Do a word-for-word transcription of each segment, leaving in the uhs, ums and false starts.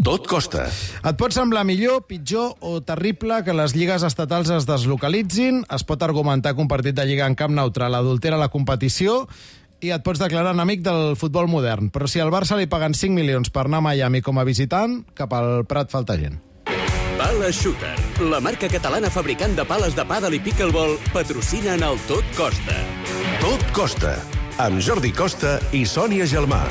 Tot costa. Et pot semblar millor, pitjor o terrible que les lligues estatals es deslocalitzin, es pot argumentar que un partit de lliga en camp neutral adultera la competició i et pots declarar enemic del futbol modern. Però si al Barça li paguen cinc milions per anar a Miami com a visitant, cap al Prat falta gent. Pala Shooter, la marca catalana fabricant de pales de pàdel i pickleball, patrocina en el Tot Costa. Tot costa, amb Jordi Costa i Sònia Gelmà.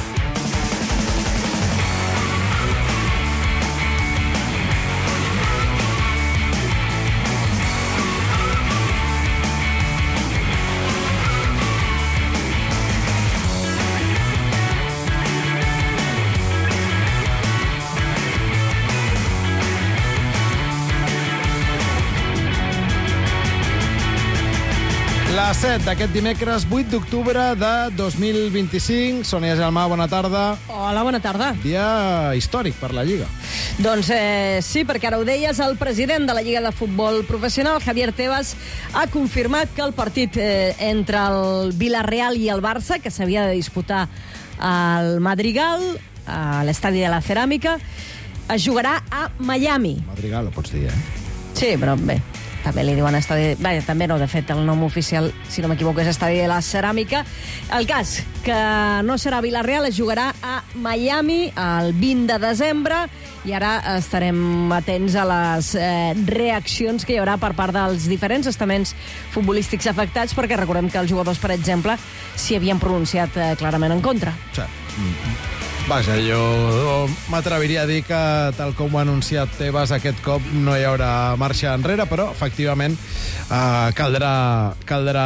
La set d'aquest dimecres, vuit d'octubre de dos mil vint-i-cinc. Sònia Gelmà, bona tarda. Hola, bona tarda. Dia històric per la Lliga. Doncs eh, sí, perquè ara ho deies, el president de la Lliga de Futbol Professional, Javier Tebas, ha confirmat que el partit eh, entre el Villarreal i el Barça, que s'havia de disputar al Madrigal, a l'estadi de la Ceràmica, es jugarà a Miami. Madrigal, ho pots dir, eh? Sí, però bé, també li diuen estadi... Bé, també no, de fet, el nom oficial, si no m'equivoco, és estadi de la Ceràmica. El cas, que no serà a Villarreal, es jugarà a Miami el vint de desembre i ara estarem atents a les eh, reaccions que hi haurà per part dels diferents estaments futbolístics afectats, perquè recordem que els jugadors, per exemple, s'hi havien pronunciat eh, clarament en contra. Sí. Vaja, jo m'atreviria a dir que, tal com ho ha anunciat Tebas, aquest cop no hi haurà marxa enrere, però, efectivament, eh, caldrà, caldrà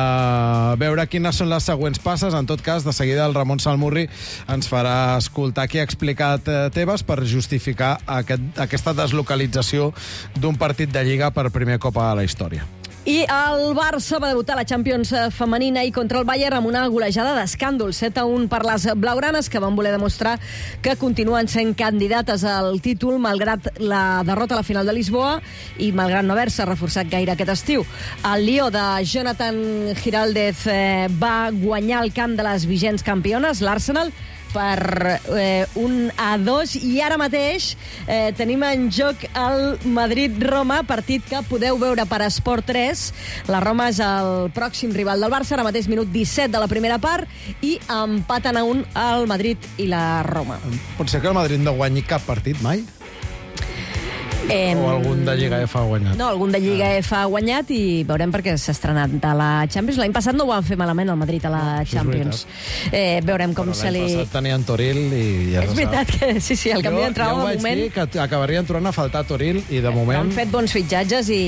veure quines són les següents passes. En tot cas, de seguida el Ramon Salmurri ens farà escoltar què ha explicat eh, Tebas per justificar aquest, aquesta deslocalització d'un partit de Lliga per primer cop a la història. I el Barça va debutar a la Champions femenina i contra el Bayern amb una golejada d'escàndol, set a un per les blaugranes, que van voler demostrar que continuen sent candidates al títol malgrat la derrota a la final de Lisboa i malgrat no haver-se reforçat gaire aquest estiu. El Lió de Jonathan Giraldez eh, va guanyar el camp de les vigents campiones, l'Arsenal, per eh, un a dos, i ara mateix eh, tenim en joc el Madrid-Roma, partit que podeu veure per Esport tres. La Roma és el pròxim rival del Barça, ara mateix minut disset de la primera part, i empaten a un el Madrid i la Roma. Pot ser que el Madrid no guanyi cap partit mai? Eh, o algun de Lliga F ha guanyat? No, algun de Lliga ah. F ha guanyat i veurem perquè s'ha estrenat a la Champions. L'any passat no ho van fer malament el Madrid a la no, Champions. Eh, veurem com se li... L'any passat tenien Toril i ja és veritat que sí, sí, el canvi d'entrada de moment... Jo vaig dir que acabarien trobant a faltar Toril i de moment... Han fet bons fitxatges i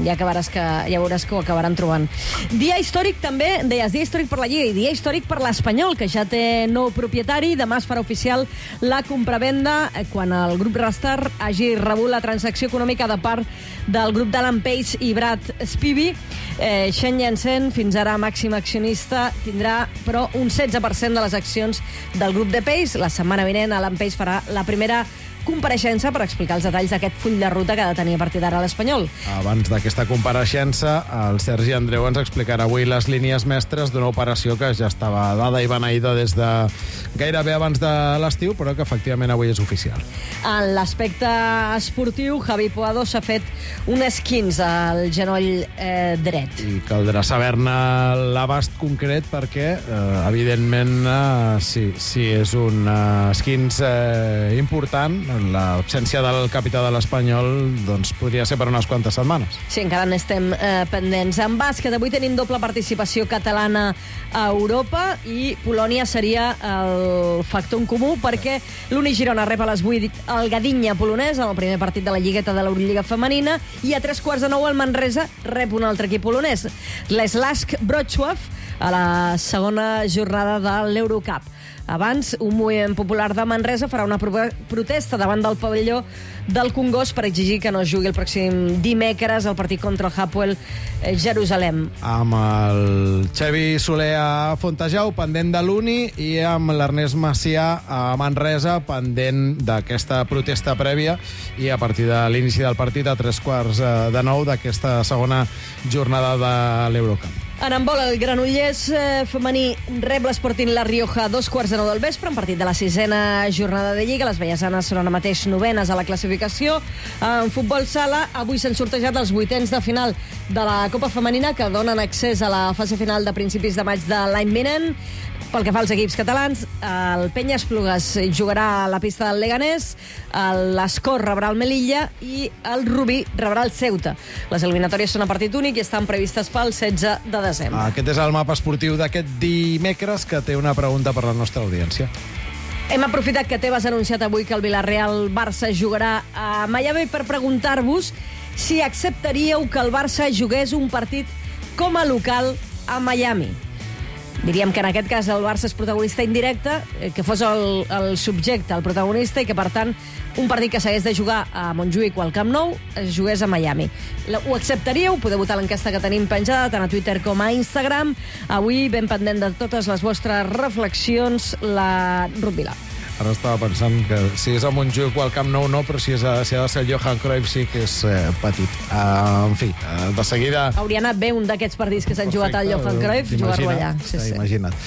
ja, acabaràs que, ja veuràs que ho acabaran trobant. Dia històric també, deies, dia històric per la Lliga i dia històric per l'Espanyol, que ja té nou propietari. Demà es farà oficial la compravenda quan el grup Rastar hagi rebut la transacció econòmica de part del grup d'Alan Page i Brad Spivey. Eh, Shen Yansen, fins ara màxim accionista, tindrà però un setze per cent de les accions del grup de Page. La setmana vinent Alan Page farà la primera compareixença per explicar els detalls d'aquest full de ruta que ha de tenir a partir d'ara l'Espanyol. Abans d'aquesta compareixença, el Sergi Andreu ens explicarà avui les línies mestres d'una operació que ja estava dada i beneïda des de gairebé abans de l'estiu, però que efectivament avui és oficial. En l'aspecte esportiu, Javi Puado s'ha fet un esquinç al genoll eh, dret. I caldrà saber-ne l'abast concret perquè, eh, evidentment, eh, si, si és un eh, esquinç eh, important, l'absència del capità de l'Espanyol doncs podria ser per unes quantes setmanes. Sí, encara n'estem eh, pendents. En bàsquet, avui tenim doble participació catalana a Europa i Polònia seria el factor en comú perquè l'Uni Girona rep a les vuit el Gdynia polonès en el primer partit de la lligueta de l'Eurolliga femenina i a tres quarts de nou el Manresa rep un altre equip polonès, l'Slask Wrocław, a la segona jornada de l'Eurocup. Abans, un moviment popular de Manresa farà una protesta davant del pavelló del Congost per exigir que no es jugui el pròxim dimecres el partit contra el Hapoel Jerusalem. Amb el Xavi Soler a Fontejau, pendent de l'Uni, i amb l'Ernest Macià a Manresa, pendent d'aquesta protesta prèvia, i a partir de l'inici del partit a tres quarts de nou d'aquesta segona jornada de l'Eurocup. En handbol, el Granollers eh, femení rep l'Sporting La Rioja a dos quarts de nou del vespre, en partit de la sisena jornada de Lliga. Les vallesanes són ara mateix novenes a la classificació. En futbol sala, avui s'han sortejat els vuitens de final de la Copa Femenina, que donen accés a la fase final de principis de maig de l'any vinent. Pel que fa als equips catalans, el Penya Esplugues jugarà a la pista del Leganés, l'Escor rebrà el Melilla i el Rubí rebrà el Ceuta. Les eliminatòries són a partit únic i estan previstes pel setze de desembre. Aquest és el mapa esportiu d'aquest dimecres, que té una pregunta per la nostra audiència. Hem aprofitat que Tebas ha anunciat avui que el Villarreal-Barça jugarà a Miami per preguntar-vos si acceptaríeu que el Barça jugués un partit com a local a Miami. Diríem que en aquest cas el Barça és protagonista indirecte, que fos el, el subjecte, el protagonista, i que, per tant, un partit que s'hagués de jugar a Montjuïc o al Camp Nou es jugués a Miami. Ho acceptaríeu? Podeu votar l'enquesta que tenim penjada tant a Twitter com a Instagram. Avui, ben pendent de totes les vostres reflexions, la Ruth Vilà. Ara estava pensant que si és a Montjuïc o al Camp Nou no, però si, és a, si ha de ser el Johan Cruyff sí que és eh, petit. Uh, en fi, uh, de seguida... Hauria anat bé un d'aquests partits que s'han jugat al Johan Cruyff, jugar-lo allà. Sí, sí. Imagina't.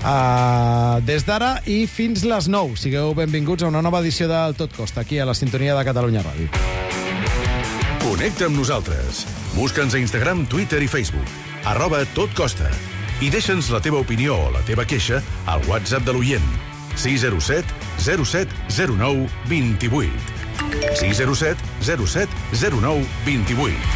Uh, des d'ara i fins les nou, sigueu benvinguts a una nova edició del Tot Costa, aquí a la sintonia de Catalunya Ràdio. Connecta amb nosaltres. Busca'ns a Instagram, Twitter i Facebook. Arroba Tot Costa. I deixa'ns la teva opinió o la teva queixa al WhatsApp de l'oient. sis zero set zero set zero nou dos vuit. sis zero set zero set zero nou dos vuit.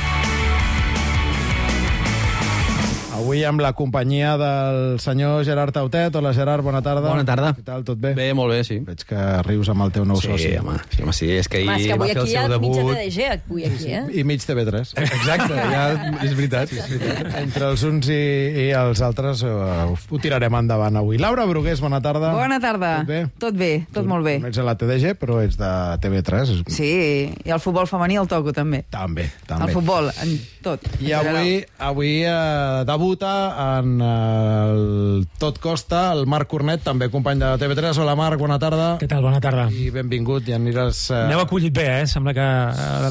Avui amb la companyia del senyor Gerard Tautet. Hola, Gerard, bona tarda. Bona tarda. Què tal, tot bé? Bé, molt bé, sí. Veig que rius amb el teu nou sí, soci. Home, sí, home, sí, és que ahir home, és que va fer el seu debut. Mitja T D G, avui aquí, eh? I mig T V tres. Exacte, ja és veritat. Sí, és veritat. Entre els uns i, i els altres uh, ho tirarem endavant avui. Laura Brugués, bona tarda. Bona tarda. Tot bé? Tot bé, tot tu, molt bé. No ets a la T D G, però ets de T V tres. Sí, i el futbol femení el toco, també. També, també. El futbol, en tot. I avui, avui uh, debuta en uh, el Tot Costa el Marc Cornet, també company de T V tres. Hola, Marc, bona tarda. Què tal? Bona tarda. I benvingut, i aniràs... Uh... N'heu acollit bé, eh? Sembla que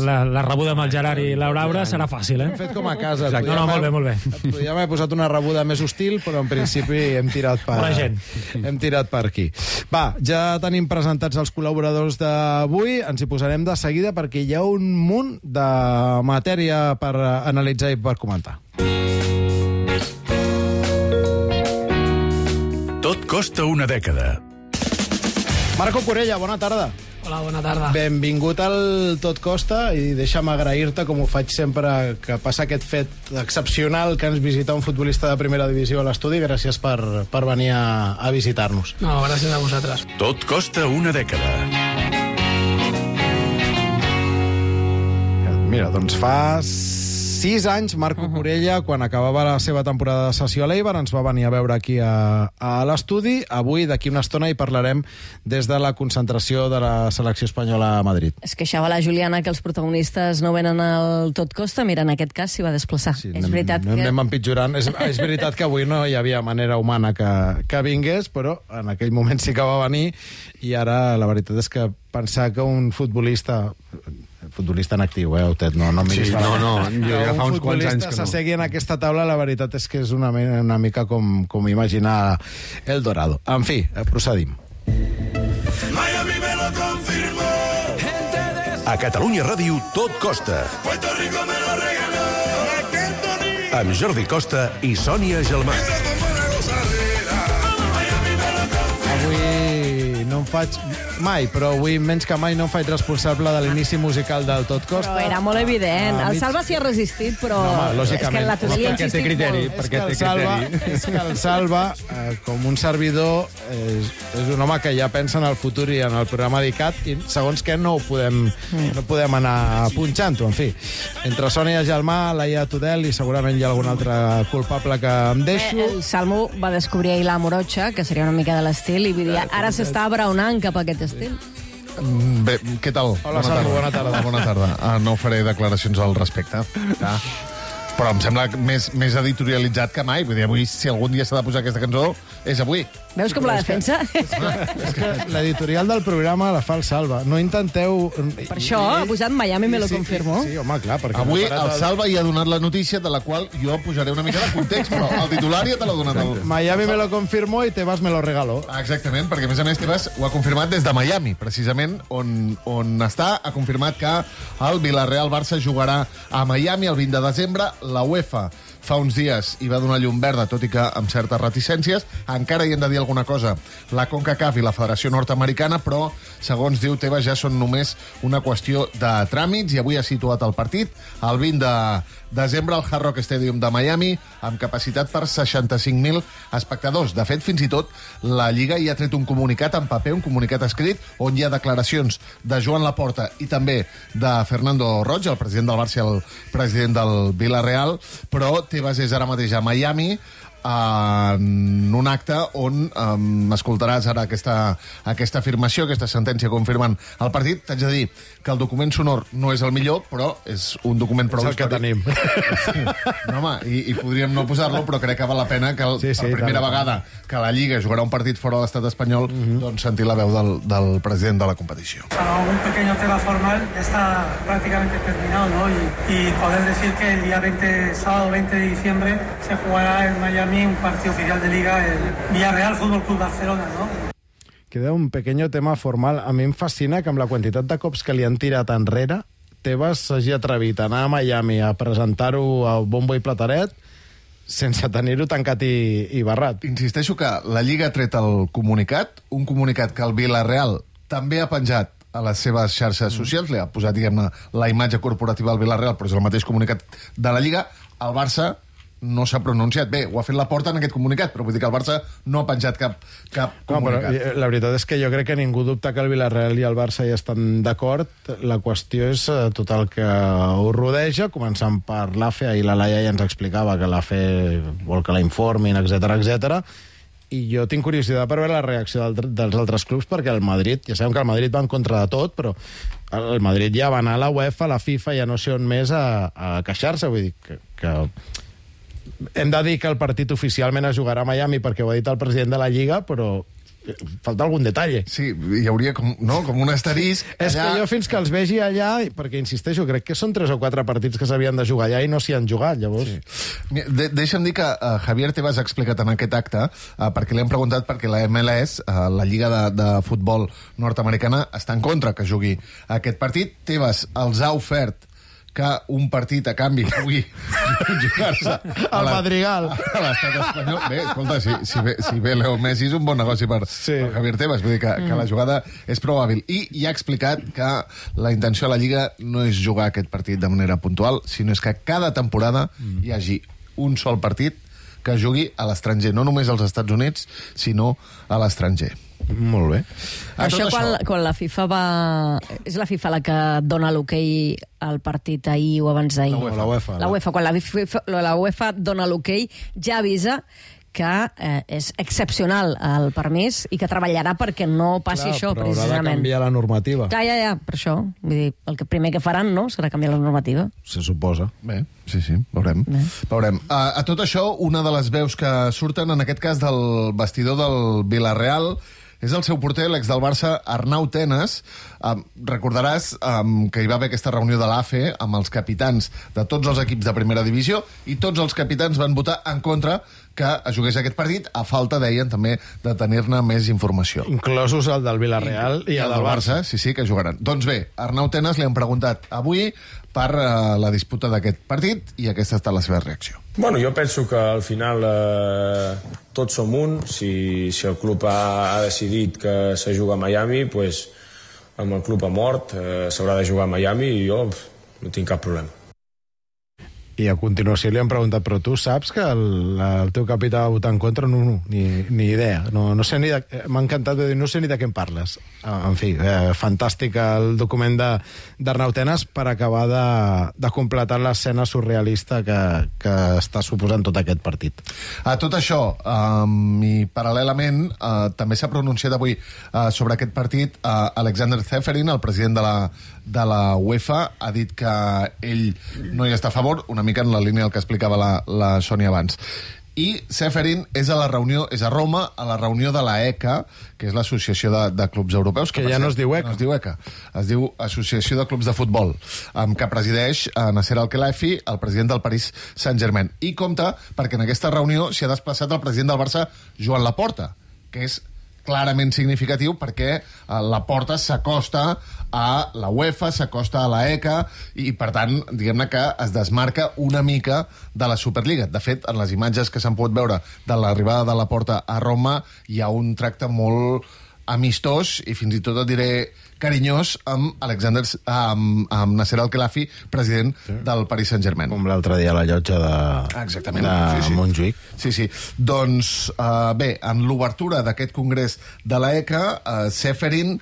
la, la rebuda amb el Gerard i la Laura serà fàcil, eh? Hem fet com a casa. No, no, molt bé, molt bé. Et podíem haver posat una rebuda més hostil, però en principi hem tirat per... Bona gent. Hem tirat per aquí. Va, ja tenim presentats els col·laboradors d'avui. Ens hi posarem de seguida perquè hi ha un munt de matèria per analitzar i per comentar. Tot costa una dècada. Marco Corella, bona tarda. Hola, bona tarda. Benvingut al Tot Costa i deixa'm agrair-te, com ho faig sempre que passa aquest fet excepcional que ens visita un futbolista de primera divisió a l'estudi. Gràcies per, per venir a, a visitar-nos. No, gràcies a vosaltres. Tot costa una dècada. Mira, doncs fa sis anys, Marco uh-huh. Corella, quan acabava la seva temporada de sessió a l'Eibar, ens va venir a veure aquí a, a l'estudi. Avui, d'aquí una estona, hi parlarem des de la concentració de la selecció espanyola a Madrid. Es queixava la Juliana que els protagonistes no venen al Tot Costa. Mira, en aquest cas s'hi va desplaçar. Sí, és anem, veritat que... Anem empitjorant. És, és veritat que avui no hi havia manera humana que, que vingués, però en aquell moment sí que va venir, i ara la veritat és que pensar que un futbolista... futbolista en actiu, eh, Autet? No, no, sí, no, no, jo ja fa uns quants anys que no. S'assegui en aquesta taula, la veritat és que és una, una mica com, com imaginar El Dorado. En fi, procedim. Miami me lo confirmó. A Catalunya Ràdio, Tot Costa. Puerto Rico me lo regaló. Amb Jordi Costa i Sònia Gelmà. Avui no em faig... mai, però avui menys que mai no em faig responsable de l'inici musical del Tot Costa. Però era molt evident. Ah, el mig... Salva s'hi ha resistit, però no, home, és que en la teoria ha insistit criteri, molt. perquè és, que té Salva, criteri. és que el Salva, eh, com un servidor, és, és un home que ja pensa en el futur i en el programa dedicat, i segons què no ho podem, mm. no podem anar punxant-ho, en fi. Entre Sònia Gelmà, Laia Tudel i segurament hi ha algun altre culpable que em deixo. Eh, el Salmo va descobrir ahir la morocha, que seria una mica de l'estil, i vull dir, ara s'està abraonant cap a aquest estil. Bé, què tal? Hola, bona Salvo, tarda. bona tarda. Bona tarda. Ah, no faré declaracions al respecte. Ah. però em sembla més, més editorialitzat que mai. Vull dir, avui, si algun dia s'ha de posar aquesta cançó, és avui. Veus com la defensa? És que l'editorial del programa la fa el Salva. No intenteu... Per això ha posat Miami me lo confirmo. Sí, home, clar, perquè... Avui el Salva hi ha donat la notícia, de la qual jo posaré una mica de context, però el titular ja te l'ha donat. El... Miami me lo confirmó i Tebas me lo regaló. Exactament, perquè a més a més Tebas ho ha confirmat des de Miami, precisament, on, on està. Ha confirmat que el Villarreal-Barça jugarà a Miami el vint de desembre. La UEFA fa uns dies hi va donar llum verda, tot i que amb certes reticències. Encara hi hem de dir alguna cosa la CONCACAF i la Federació Nord-Americana, però, segons diu Tebas, ja són només una qüestió de tràmits, i avui ha situat el partit el vint de desembre al Hard Rock Stadium de Miami, amb capacitat per seixanta-cinc mil espectadors. De fet, fins i tot, la Lliga hi ha tret un comunicat en paper, un comunicat escrit, on hi ha declaracions de Joan Laporta i també de Fernando Roig, el president del Barça i el president del Villarreal, però Tebas és ara mateix a Miami, en un acte on um, escoltaràs ara aquesta, aquesta afirmació, aquesta sentència confirmant el partit. T'haig de dir que el document sonor no és el millor, però és un document prou és el que tenim. Sí. No, home, i, i podríem no posar-lo, però crec que val la pena que el, sí, sí, per primera tant. vegada que la Lliga jugarà un partit fora de l'estat espanyol, uh-huh. doncs sentir la veu del, del president de la competició. Un pequeño tema formal ya está prácticamente terminado, ¿no? Y, y poder decir que el día veinte, sábado veinte de diciembre, se jugará en Miami un partido oficial de Liga, el Villarreal Fútbol Club Barcelona, ¿no? Queda un pequeño tema formal. A mi em fascina que amb la quantitat de cops que li han tirat enrere, Tebas s'hagi atrevit a anar a Miami a presentar-ho a bombo i plataret sense tenir-ho tancat i, i barrat. Insisteixo que la Lliga ha tret el comunicat, un comunicat que el Villarreal també ha penjat a les seves xarxes socials, li ha posat, diguem-ne, la imatge corporativa del Villarreal, però és el mateix comunicat de la Lliga. El Barça no s'ha pronunciat. Bé, ho ha fet Laporta en aquest comunicat, però vull dir que el Barça no ha penjat cap, cap comunicat. No, però la veritat és que jo crec que ningú dubta que el Villarreal i el Barça ja estan d'acord. La qüestió és tot el que ho rodeja, començant per l'A F E, i la Laia ja ens explicava que l'A F E vol que la informin, etcètera, etcètera. I jo tinc curiositat per veure la reacció del, dels altres clubs, perquè el Madrid, ja sabem que el Madrid va en contra de tot, però el Madrid ja va anar a la UEFA, a la FIFA, ja no sé on més, a, a queixar-se. Vull dir que... que hem de dir que el partit oficialment es jugarà a Miami perquè ho ha dit el president de la Lliga, però falta algun detall. Sí, hi hauria com, no, com un asterisc. És allà... que jo fins que els vegi allà, perquè insisteixo, crec que són tres o quatre partits que s'havien de jugar allà i no s'hi han jugat, llavors. Sí. De Deixa'm dir que uh, Javier Tebas ha explicat en aquest acte, uh, perquè li hem preguntat perquè la M L S, uh, la Lliga de, de Futbol Nord-Americana, està en contra que jugui aquest partit. Tebas els ha ofert que un partit a canvi pugui jugar-se al Madrigal a l'estat espanyol. Bé, escolta, si, si, ve, si ve Leo Messi és un bon negoci per, sí. per Javier Tebas, vull dir que, mm. que la jugada és prou hàbil. I hi ha explicat que la intenció de la Lliga no és jugar aquest partit de manera puntual, sinó és que cada temporada mm. hi hagi un sol partit que jugui a l'estranger, no només als Estats Units, sinó a l'estranger. Molt bé. Això, quan, això quan la FIFA va... És la FIFA la que dona l'hoquei al partit ahir o abans d'ahir? La UEFA. La UEFA. Quan la FIFA, la UEFA dona l'hoquei, ja avisa que eh, és excepcional el permís i que treballarà perquè no passi Clar, això, però precisament. haurà de canviar la normativa. Ja, ja, ja, per això. Vull dir, el que primer que faran, no?, serà canviar la normativa. Se suposa. Bé, sí, sí, veurem. Bé. veurem. A, a tot això, una de les veus que surten, en aquest cas del vestidor del Villarreal, és el seu porter, l'ex del Barça, Arnau Tenas. Um, recordaràs um, que hi va haver aquesta reunió de l'A F E amb els capitans de tots els equips de primera divisió i tots els capitans van votar en contra que es jugués aquest partit, a falta, deien, també de tenir-ne més informació. Inclosos el del Villarreal i, i el del Barça. Barça. Sí, sí, que jugaran. Doncs bé, Arnau Tenas li han preguntat avui per uh, la disputa d'aquest partit i aquesta ha estat la seva reacció. Bueno, jo penso que al final eh, tots som un. Si, si el club ha, ha decidit que se juga a Miami, pues, amb el club a mort eh, s'haurà de jugar a Miami i jo pff, no tinc cap problema. I a continuació li han preguntat, però tu saps que el, el teu capità va votar en contra? No, no, ni, ni idea. No, no sé ni de, m'ha encantat de dir, no sé ni de què em parles. En fi, eh, fantàstic el document d'Arnau Tenas per acabar de, de completar l'escena surrealista que, que està suposant tot aquest partit. A tot això, um, i paral·lelament, uh, també s'ha pronunciat avui uh, sobre aquest partit uh, Alexander Ceferin, el president de la, de la UEFA, ha dit que ell no hi està a favor, una mica en la línia del que explicava la, la Sònia abans. I Ceferin és a la reunió, és a Roma, a la reunió de la E C A, que és l'Associació de, de Clubs Europeus. Que, que ja no es diu E C A. No es diu E C A. Es diu Associació de Clubs de Futbol, amb que presideix Nasser Al-Khelaifi, el president del Paris Saint-Germain. I compta, perquè en aquesta reunió s'hi ha desplaçat el president del Barça, Joan Laporta, que és clarament significatiu perquè Laporta s'acosta a la UEFA, s'acosta a la E C A i, per tant, diguem-ne que es desmarca una mica de la Superliga. De fet, en les imatges que s'han pogut veure de l'arribada de Laporta a Roma hi ha un tracte molt amistós i fins i tot et diré carinyós amb Alexander, amb, amb Nasser Al-Khelaifi, president sí. del Paris Saint-Germain. Com l'altre dia a la llotja de, Exactament. de sí, sí. Montjuïc. Sí, sí. Doncs, uh, bé, en l'obertura d'aquest congrés de la E C A, uh, Ceferin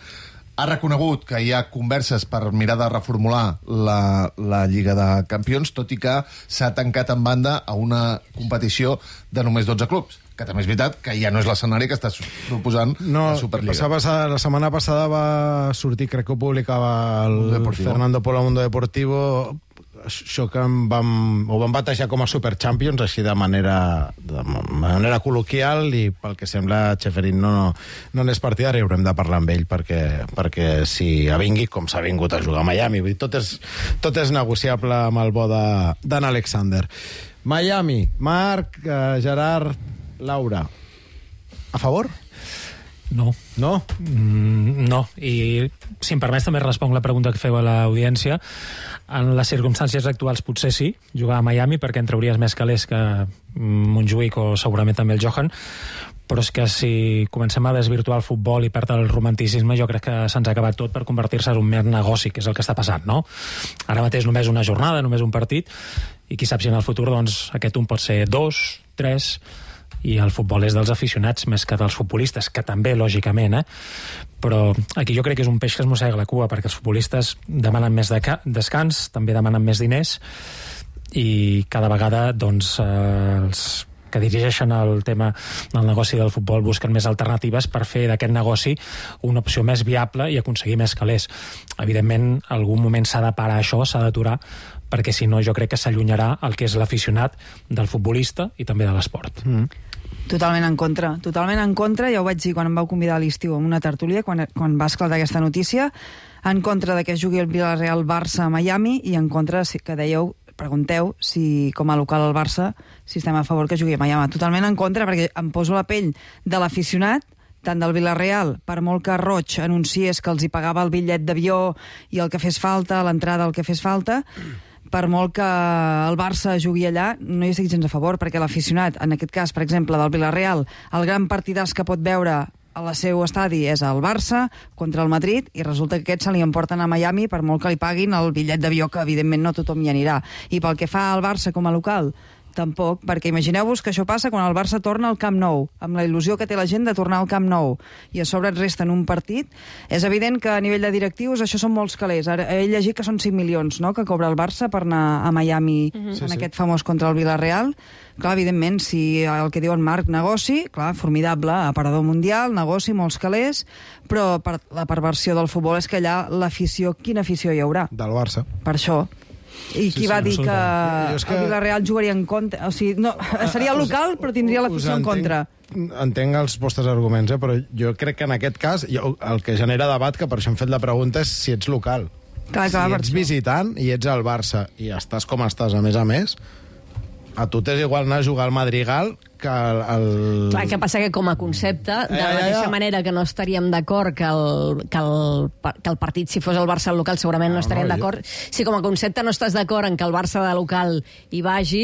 ha reconegut que hi ha converses per mirar de reformular la, la Lliga de Campions, tot i que s'ha tancat en banda a una competició de només dotze clubs, que també és veritat que ja no és l'escenari que està proposant no, la Superliga. La, passada, la setmana passada va sortir, crec que ho publicava el Fernando Polo Mundo Deportivo, això que em vam, ho vam batejar com a Super Champions, així de manera, de manera col·loquial, i pel que sembla Ceferin no, no, no n'és partidari, haurem de parlar amb ell perquè, perquè si avingui com s'ha vingut a jugar a Miami. Vull dir, tot, és, tot és negociable amb el bo d'en Alexander. Miami, Marc, eh, Gerard, Laura, a favor? No. No? Mm, no. I, si em permets, també responc la pregunta que feu a l'audiència. En les circumstàncies actuals potser sí, jugar a Miami, perquè en trauries més calés que Montjuïc o segurament també el Johan, però és que si comencem a desvirtuar el futbol i perdre el romanticisme, jo crec que se'ns ha acabat tot per convertir-se en un mer negoci, que és el que està passant, no? Ara mateix només una jornada, només un partit, i qui sap si en el futur doncs, aquest un pot ser dos, tres, i el futbol és dels aficionats més que dels futbolistes, que també, lògicament, eh? Però aquí jo crec que és un peix que es mossega la cua, perquè els futbolistes demanen més de descans, també demanen més diners, i cada vegada doncs, eh, els que dirigeixen el tema del negoci del futbol busquen més alternatives per fer d'aquest negoci una opció més viable i aconseguir més calés. Evidentment, algun moment s'ha de parar això, s'ha d'aturar, perquè si no jo crec que s'allunyarà el que és l'aficionat del futbolista i també de l'esport. Mm. Totalment en contra, totalment en contra, ja ho vaig dir quan em vau convidar a l'estiu en una tertúlia, quan, quan va esclatar aquesta notícia, en contra de que es jugui el Villarreal-Barça a Miami i en contra que dèieu, pregunteu si com a local al Barça si estem a favor que jugui a Miami. Totalment en contra, perquè em poso la pell de l'aficionat, tant del Villarreal, per molt que Roig anunciés que els hi pagava el bitllet d'avió i el que fes falta, l'entrada, el que fes falta, per molt que el Barça jugui allà, no hi estic gens a favor, perquè l'aficionat, en aquest cas, per exemple, del Villarreal, el gran partidàs que pot veure al seu estadi és el Barça contra el Madrid, i resulta que aquests se li emporten a Miami per molt que li paguin el bitllet d'avió, que evidentment no tothom hi anirà. I pel que fa al Barça com a local, tampoc, perquè imagineu-vos que això passa quan el Barça torna al Camp Nou, amb la il·lusió que té la gent de tornar al Camp Nou, i a sobre et resten un partit. És evident que a nivell de directius això són molts calés. Ara he llegit que són cinc milions, no?, que cobra el Barça per anar a Miami mm-hmm. en sí, aquest sí. famós contra el Villarreal. Clar, evidentment, si el que diu en Marc, negoci, clar, formidable, aparador mundial, negoci, molts calés, però per la perversió del futbol és que allà l'afició, quina afició hi haurà? Del Barça. Per això. I qui sí, va sí, dir que, que el Villarreal jugaria en contra? O sigui, no, seria local, però tindria l'afició en contra. Entenc els vostres arguments, eh? Però jo crec que en aquest cas jo, el que genera debat, que per això hem fet la pregunta, és si ets local. Clar, clar, si ets visitant i ets al Barça i estàs com estàs, a més a més, a tu t'és igual anar a jugar al Madrigal que el... el... Clar, que passa que com a concepte, de la mateixa ja, ja. manera que no estaríem d'acord que el, que, el, que el partit, si fos el Barça al local, segurament no, no estaríem no, d'acord. Jo... Si com a concepte no estàs d'acord en que el Barça de local hi vagi...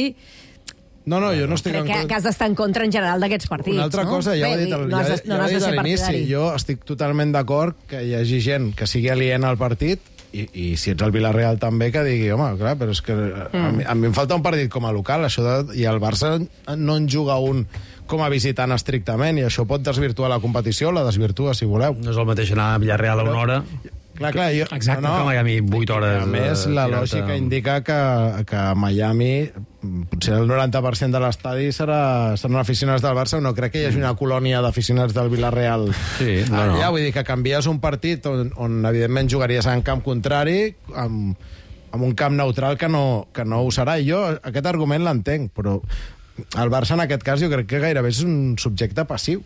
No, no, jo no estic Crec en contra. Que has d'estar en contra en general d'aquests partits, Una altra no? cosa, ja Bé, ho he dit, el, no ja, has de, no ja has he de dit ser a l'inici. partidari. Jo estic totalment d'acord que hi hagi gent que sigui aliena al partit, i, i si ets el Villarreal també, que digui, home, clar, però és que mm. a, mi, a mi em falta un partit com a local, això de, i el Barça no en juga un com a visitant estrictament, i això pot desvirtuar la competició, la desvirtua, si voleu. No és el mateix anar a Villarreal a una hora... Clar, clar, jo, Exacte, no, no, que Miami vuit hores... A més, la lògica indica que, que a Miami potser el noranta per cent de l'estadi serà, seran aficionats del Barça. No crec que hi hagi una colònia d'aficionats del Villarreal. Sí, no, no. Ja, vull dir que canvies un partit on, on evidentment jugaries en camp contrari, amb amb un camp neutral que no, que no ho serà. I jo aquest argument l'entenc, però el Barça en aquest cas jo crec que gairebé és un subjecte passiu.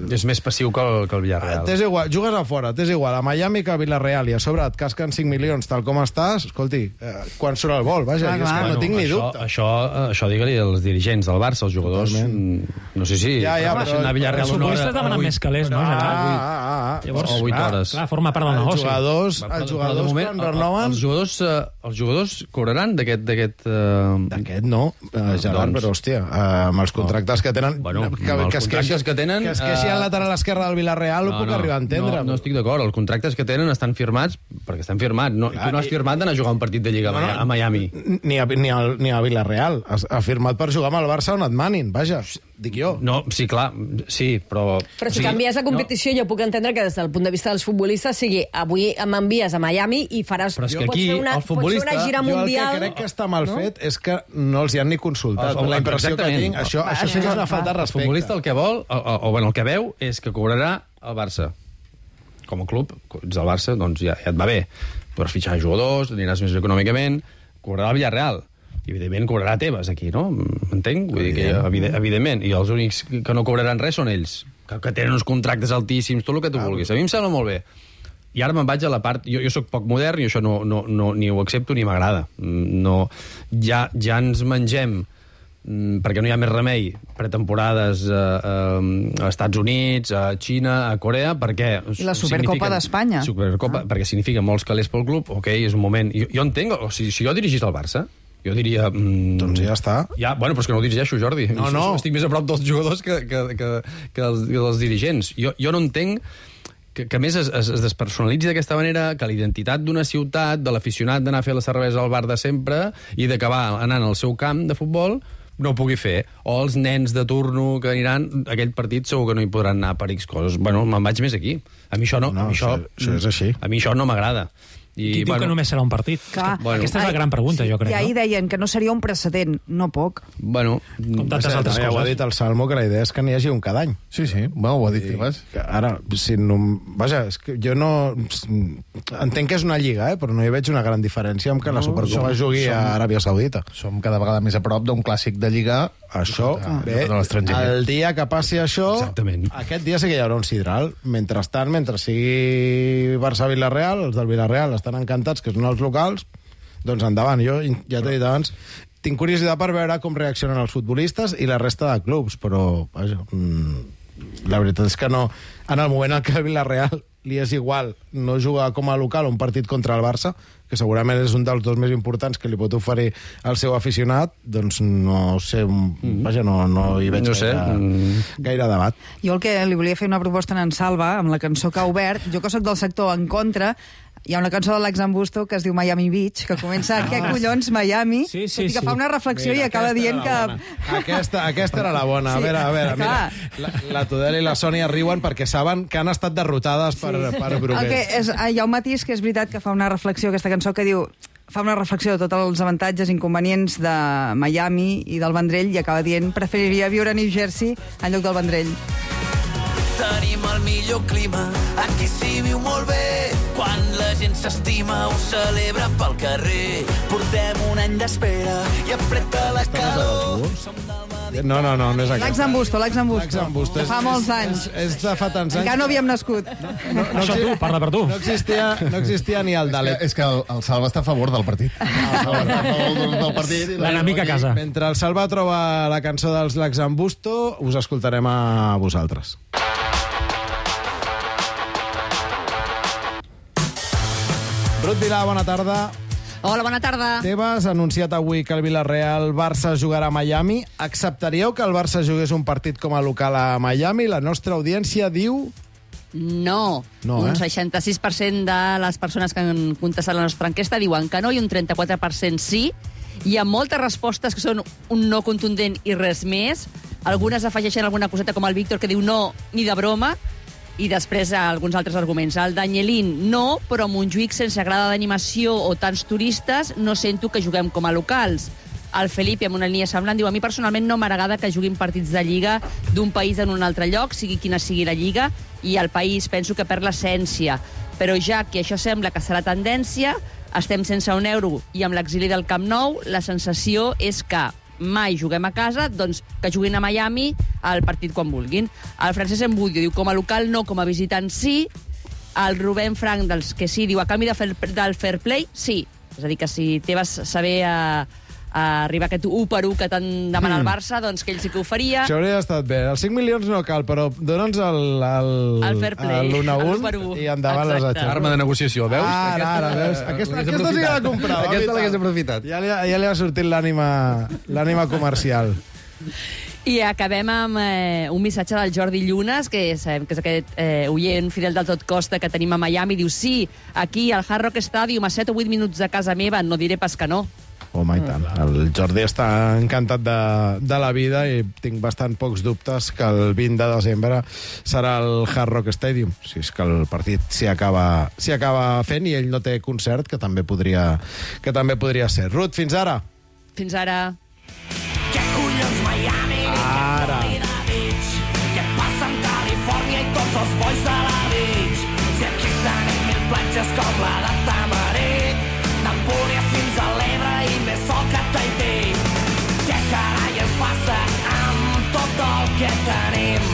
És més passiu que el, que el Villarreal. T'és igual, jugues a fora, t'és igual a Miami que a Villarreal, i a sobre et casquen cinc milions tal com estàs, escolti, eh, quan surt el vol, vaja, Ah, és que clar. no tinc ni això, dubte. Això, això digue-li als dirigents del Barça, als jugadors. Totalment. No sé si... Ja, ja, prefereixen però- anar a Villarreal Els una hora... futbolistes demanen vuit- més calés, no, Ah, Gerard? ah, ah. Llavors, o vuit clar, hores. Clar, forma part del Els negoci. jugadors, Però- però els de jugadors moment, quan el- renoven... Els jugadors, eh, els jugadors cobraran d'aquest... d'aquest eh, D'aquest no, eh, Gerard, doncs. però hòstia, eh, amb els contractes que tenen... Bueno, que, amb els que es contractes queixi- que tenen, Que es queixi eh, al lateral esquerre del Villarreal, ho puc arribar a entendre. No, no estic d'acord. Els contractes que tenen estan firmats perquè estan firmats. No, Clar, tu no has i- firmat d'anar a jugar un partit de Lliga No, no. a Miami. Ni a, ni, a, ni a Villarreal. Ha, ha firmat per jugar amb el Barça on et manin, vaja, dic jo. No, sí, clar, sí, però... Però si sí, canvies la competició, jo puc entendre que des del punt de vista dels futbolistes sigui avui m'envies a Miami i faràs... Però és que pots aquí fer una, el futbolista- Pots fer una gira Jo el mundial... que crec que està mal no? fet és que no els hi han ni consultat. El- el- La impressió que exactament. tinc, això, Va, això això sí que és és una falta de El respecte. futbolista el que vol, o, o, o bueno, el que veu, és que cobrarà el Barça. Com a club, ets del Barça, doncs ja, ja et va bé. Podràs fitxar jugadors, aniràs més econòmicament, cobrarà el Villarreal. I, evidentment, cobrarà Tebas aquí, no? M'entenc? Vull dir que, evident, evidentment. I els únics que no cobraran res són ells, que, que tenen uns contractes altíssims, tot el que tu vulguis. A mi em sembla molt bé. I ara me'n vaig a la part... Jo, jo sóc poc modern i això no, no, no, ni ho accepto ni m'agrada. No, ja, ja ens mengem, mm, perquè no hi ha més remei, pretemporades a, a, a Estats Units, a Xina, a Corea, perquè... I la Supercopa signifiquen- d'Espanya. Supercopa, ah. perquè significa molts calés pel club, ok, és un moment... Jo, jo entenc, o sigui, si jo dirigís el Barça, jo diria... Mm, Doncs ja està. ja, bueno, però és que no ho dirigeixo, Jordi. No, no. Estic més a prop dels jugadors que, que, que, que, els, que dels dirigents. Jo, jo no entenc que, que a més es, es, es despersonalitzi d'aquesta manera, que la identitat d'una ciutat, de l'aficionat d'anar a fer la cervesa al bar de sempre i d'acabar anant al seu camp de futbol, no ho pugui fer. O els nens de turno que aniran, aquell partit segur que no hi podran anar per X coses. Bueno, me'n vaig més aquí. A mi això no. No, a mi això, això- això és així. A mi això no m'agrada. I Qui diu que només serà un partit? Clar. Bueno, Aquesta és la gran pregunta, jo crec. I ahir no? deien que no seria un precedent, no poc. Bueno, Com tantes Ja, altres ja ho ha coses. dit el Salmo, que la idea és que n'hi hagi un cada any. Sí, sí, bueno, ho ha dit Tebas. Que ara, si no... Vaja, és que jo no... Entenc que és una lliga, eh? Però no hi veig una gran diferència amb que la Supercopa som- jugui a som- Aràbia Saudita. Som cada vegada més a prop d'un clàssic de Lliga. Això, Ah, bé, de l'estranger. el dia que passi això, Exactament. aquest dia sí que hi haurà un sidral. Mentrestant, mentre sigui Barça-Villarreal, els del Villarreal estan encantats, que són els locals, doncs endavant. Jo ja t'he dit abans, tinc curiositat per veure com reaccionen els futbolistes i la resta de clubs, però vaja, mm, la veritat és que no. En el moment en què el Villarreal li és igual no jugar com a local un partit contra el Barça, que segurament és un dels dos més importants que li pot oferir al seu aficionat, doncs no sé, mm. vaja, no, no hi veig No sé, gaire, mm. gaire debat. Jo el que li volia fer una proposta en Salva, amb la cançó que ha obert, jo que sóc del sector en contra, hi ha una cançó de l'Ax Ambusto que es diu Miami Beach, que comença ah. què collons Miami, Sí, sí, tot i que sí. fa una reflexió Mira, i acaba aquesta dient era que... la bona. Aquesta, aquesta era la bona. Sí, a veure, a veure, mira, clar. la, la Tudela i la Sònia riuen perquè saben que han estat derrotades per, per El que Brugués. és, ah, hi ha un matís que és veritat que fa una reflexió, aquesta cançó, que diu fa una reflexió de tots els avantatges i inconvenients de Miami i del Vendrell i acaba dient preferiria viure a New Jersey en lloc del Vendrell. Tenim el millor clima, aquí s'hi viu molt bé. Quan la gent s'estima ho celebra pel carrer. Portem un any d'espera i apreta la calor. No, no, no, no és L'Ax aquesta. Ambusto, l'Ax Ambusto. L'Ax Ambusto. De fa És- molts és- anys. És, és de fa tants anys. Encara no havíem nascut. No, Això exi- tu, parla per tu. No existia, no existia ni el És que, Dalet. és que el, el Salva està a favor del partit. A favor, a favor del, del partit. i la- L'enemic a casa. Mentre el Salva troba la cançó dels L'Ax Ambusto, us escoltarem a vosaltres. Ruth Vilà, bona tarda. Hola, bona tarda. Tebas ha anunciat avui que el Villarreal Barça jugarà a Miami. Acceptaríeu que el Barça jugués un partit com a local a Miami? La nostra audiència diu... No. No, un eh? seixanta-sis per cent de les persones que han contestat la nostra enquesta diuen que no i un trenta-quatre per cent sí. Hi ha moltes respostes que són un no contundent i res més. Algunes afegeixen alguna coseta com el Víctor que diu no ni de broma. I després alguns altres arguments. El Danielín, no, però a Montjuïc, sense grada d'animació o tants turistes, no sento que juguem com a locals. El Felipe, amb una línia semblant, diu a mi personalment no m'agrada que juguin partits de Lliga d'un país en un altre lloc, sigui quina sigui la Lliga, i el país penso que perd l'essència. Però ja que això sembla que serà tendència, estem sense un euro i amb l'exili del Camp Nou, la sensació és que mai juguem a casa, doncs que juguin a Miami al partit quan vulguin. El Francesc Embudio diu com a local no, com a visitant sí. El Rubén Frank, dels que sí, diu a canvi de fer, del fair play, sí. És a dir, que si Tebas saber a, a arribar a aquest u per u que tant demana el Barça, doncs que ell sí que ho faria. Això hauria estat bé. Els cinc milions no cal, però dona'ns el, el, el fair play, l'un a el un u per u. I endavant les atxes. Arma de negociació, veus? Ara, Aquesta- ara, veus? Aquesta, aquesta sí que la comprava. Aquesta l'hagués aprofitat. Ja li, ja li ha sortit l'ànima l'ànima comercial. I acabem amb eh, un missatge del Jordi Llunes, que sabem que és aquest eh, oient fidel del Tot Costa que tenim a Miami. Diu, sí, aquí al Hard Rock Stadium, a set o vuit minuts de casa meva, no diré pas que no. Home, i tant. El Jordi està encantat de, de la vida i tinc bastant pocs dubtes que el vint de desembre serà el Hard Rock Stadium. Si és que el partit s'hi acaba, s'hi acaba fent i ell no té concert, que també podria, que també podria ser. Ruth, fins ara. Fins ara. Què collons Miami? Ara. Què passa amb Califòrnia i tots els bois de la beach? Si aquí tenim mil platges com la de Tamarit, d'Empúries fins a l'Ebre i més sol que Tahití. Què carai es passa amb tot el que tenim?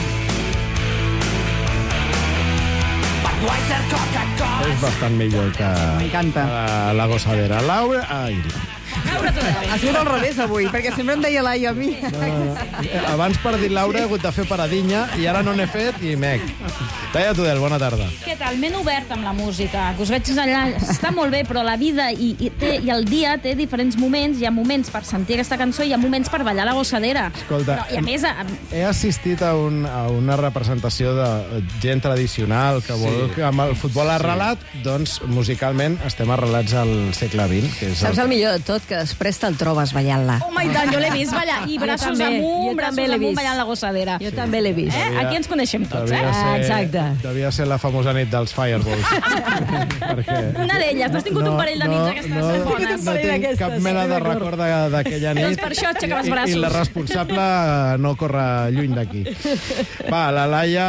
Budweiser, Coca-Cola... És bastant millor que M'encanta. uh, la gossadera. Laura... Ai, Ha sigut al revés avui, perquè sempre em deia Laia a mi. abans per dir Laura he hagut de fer paradinya i ara no n'he fet i mec. Laia Tudel, bona tarda. Què tal? M'he obert amb la música, que us veig allà, està molt bé, però la vida i, i, té, i el dia té diferents moments, hi ha moments per sentir aquesta cançó i hi ha moments per ballar la gossadera. Escolta, Però, I a més, a, he assistit a, un, a una representació de gent tradicional que vol Sí. que amb el futbol arrelat, doncs musicalment estem arrelats al segle vint. Que és Saps el millor de tot? Que després te'l trobes ballant-la. home, i tant, jo l'he vist ballar, i braços també, amunt, jo braços també l'he amunt vist. ballant la gossadera. Jo també l'he vist. Eh? Aquí ens coneixem tots, eh? Devia ser, exacte. devia ser la famosa nit dels Fireballs. Perquè Una d'elles, no has tingut un parell de nits d'aquestes no, bones. no tinc cap mena de record de- d'aquella nit. Doncs per això aixeca els I- braços. I la responsable no corre lluny d'aquí. Va, la Laia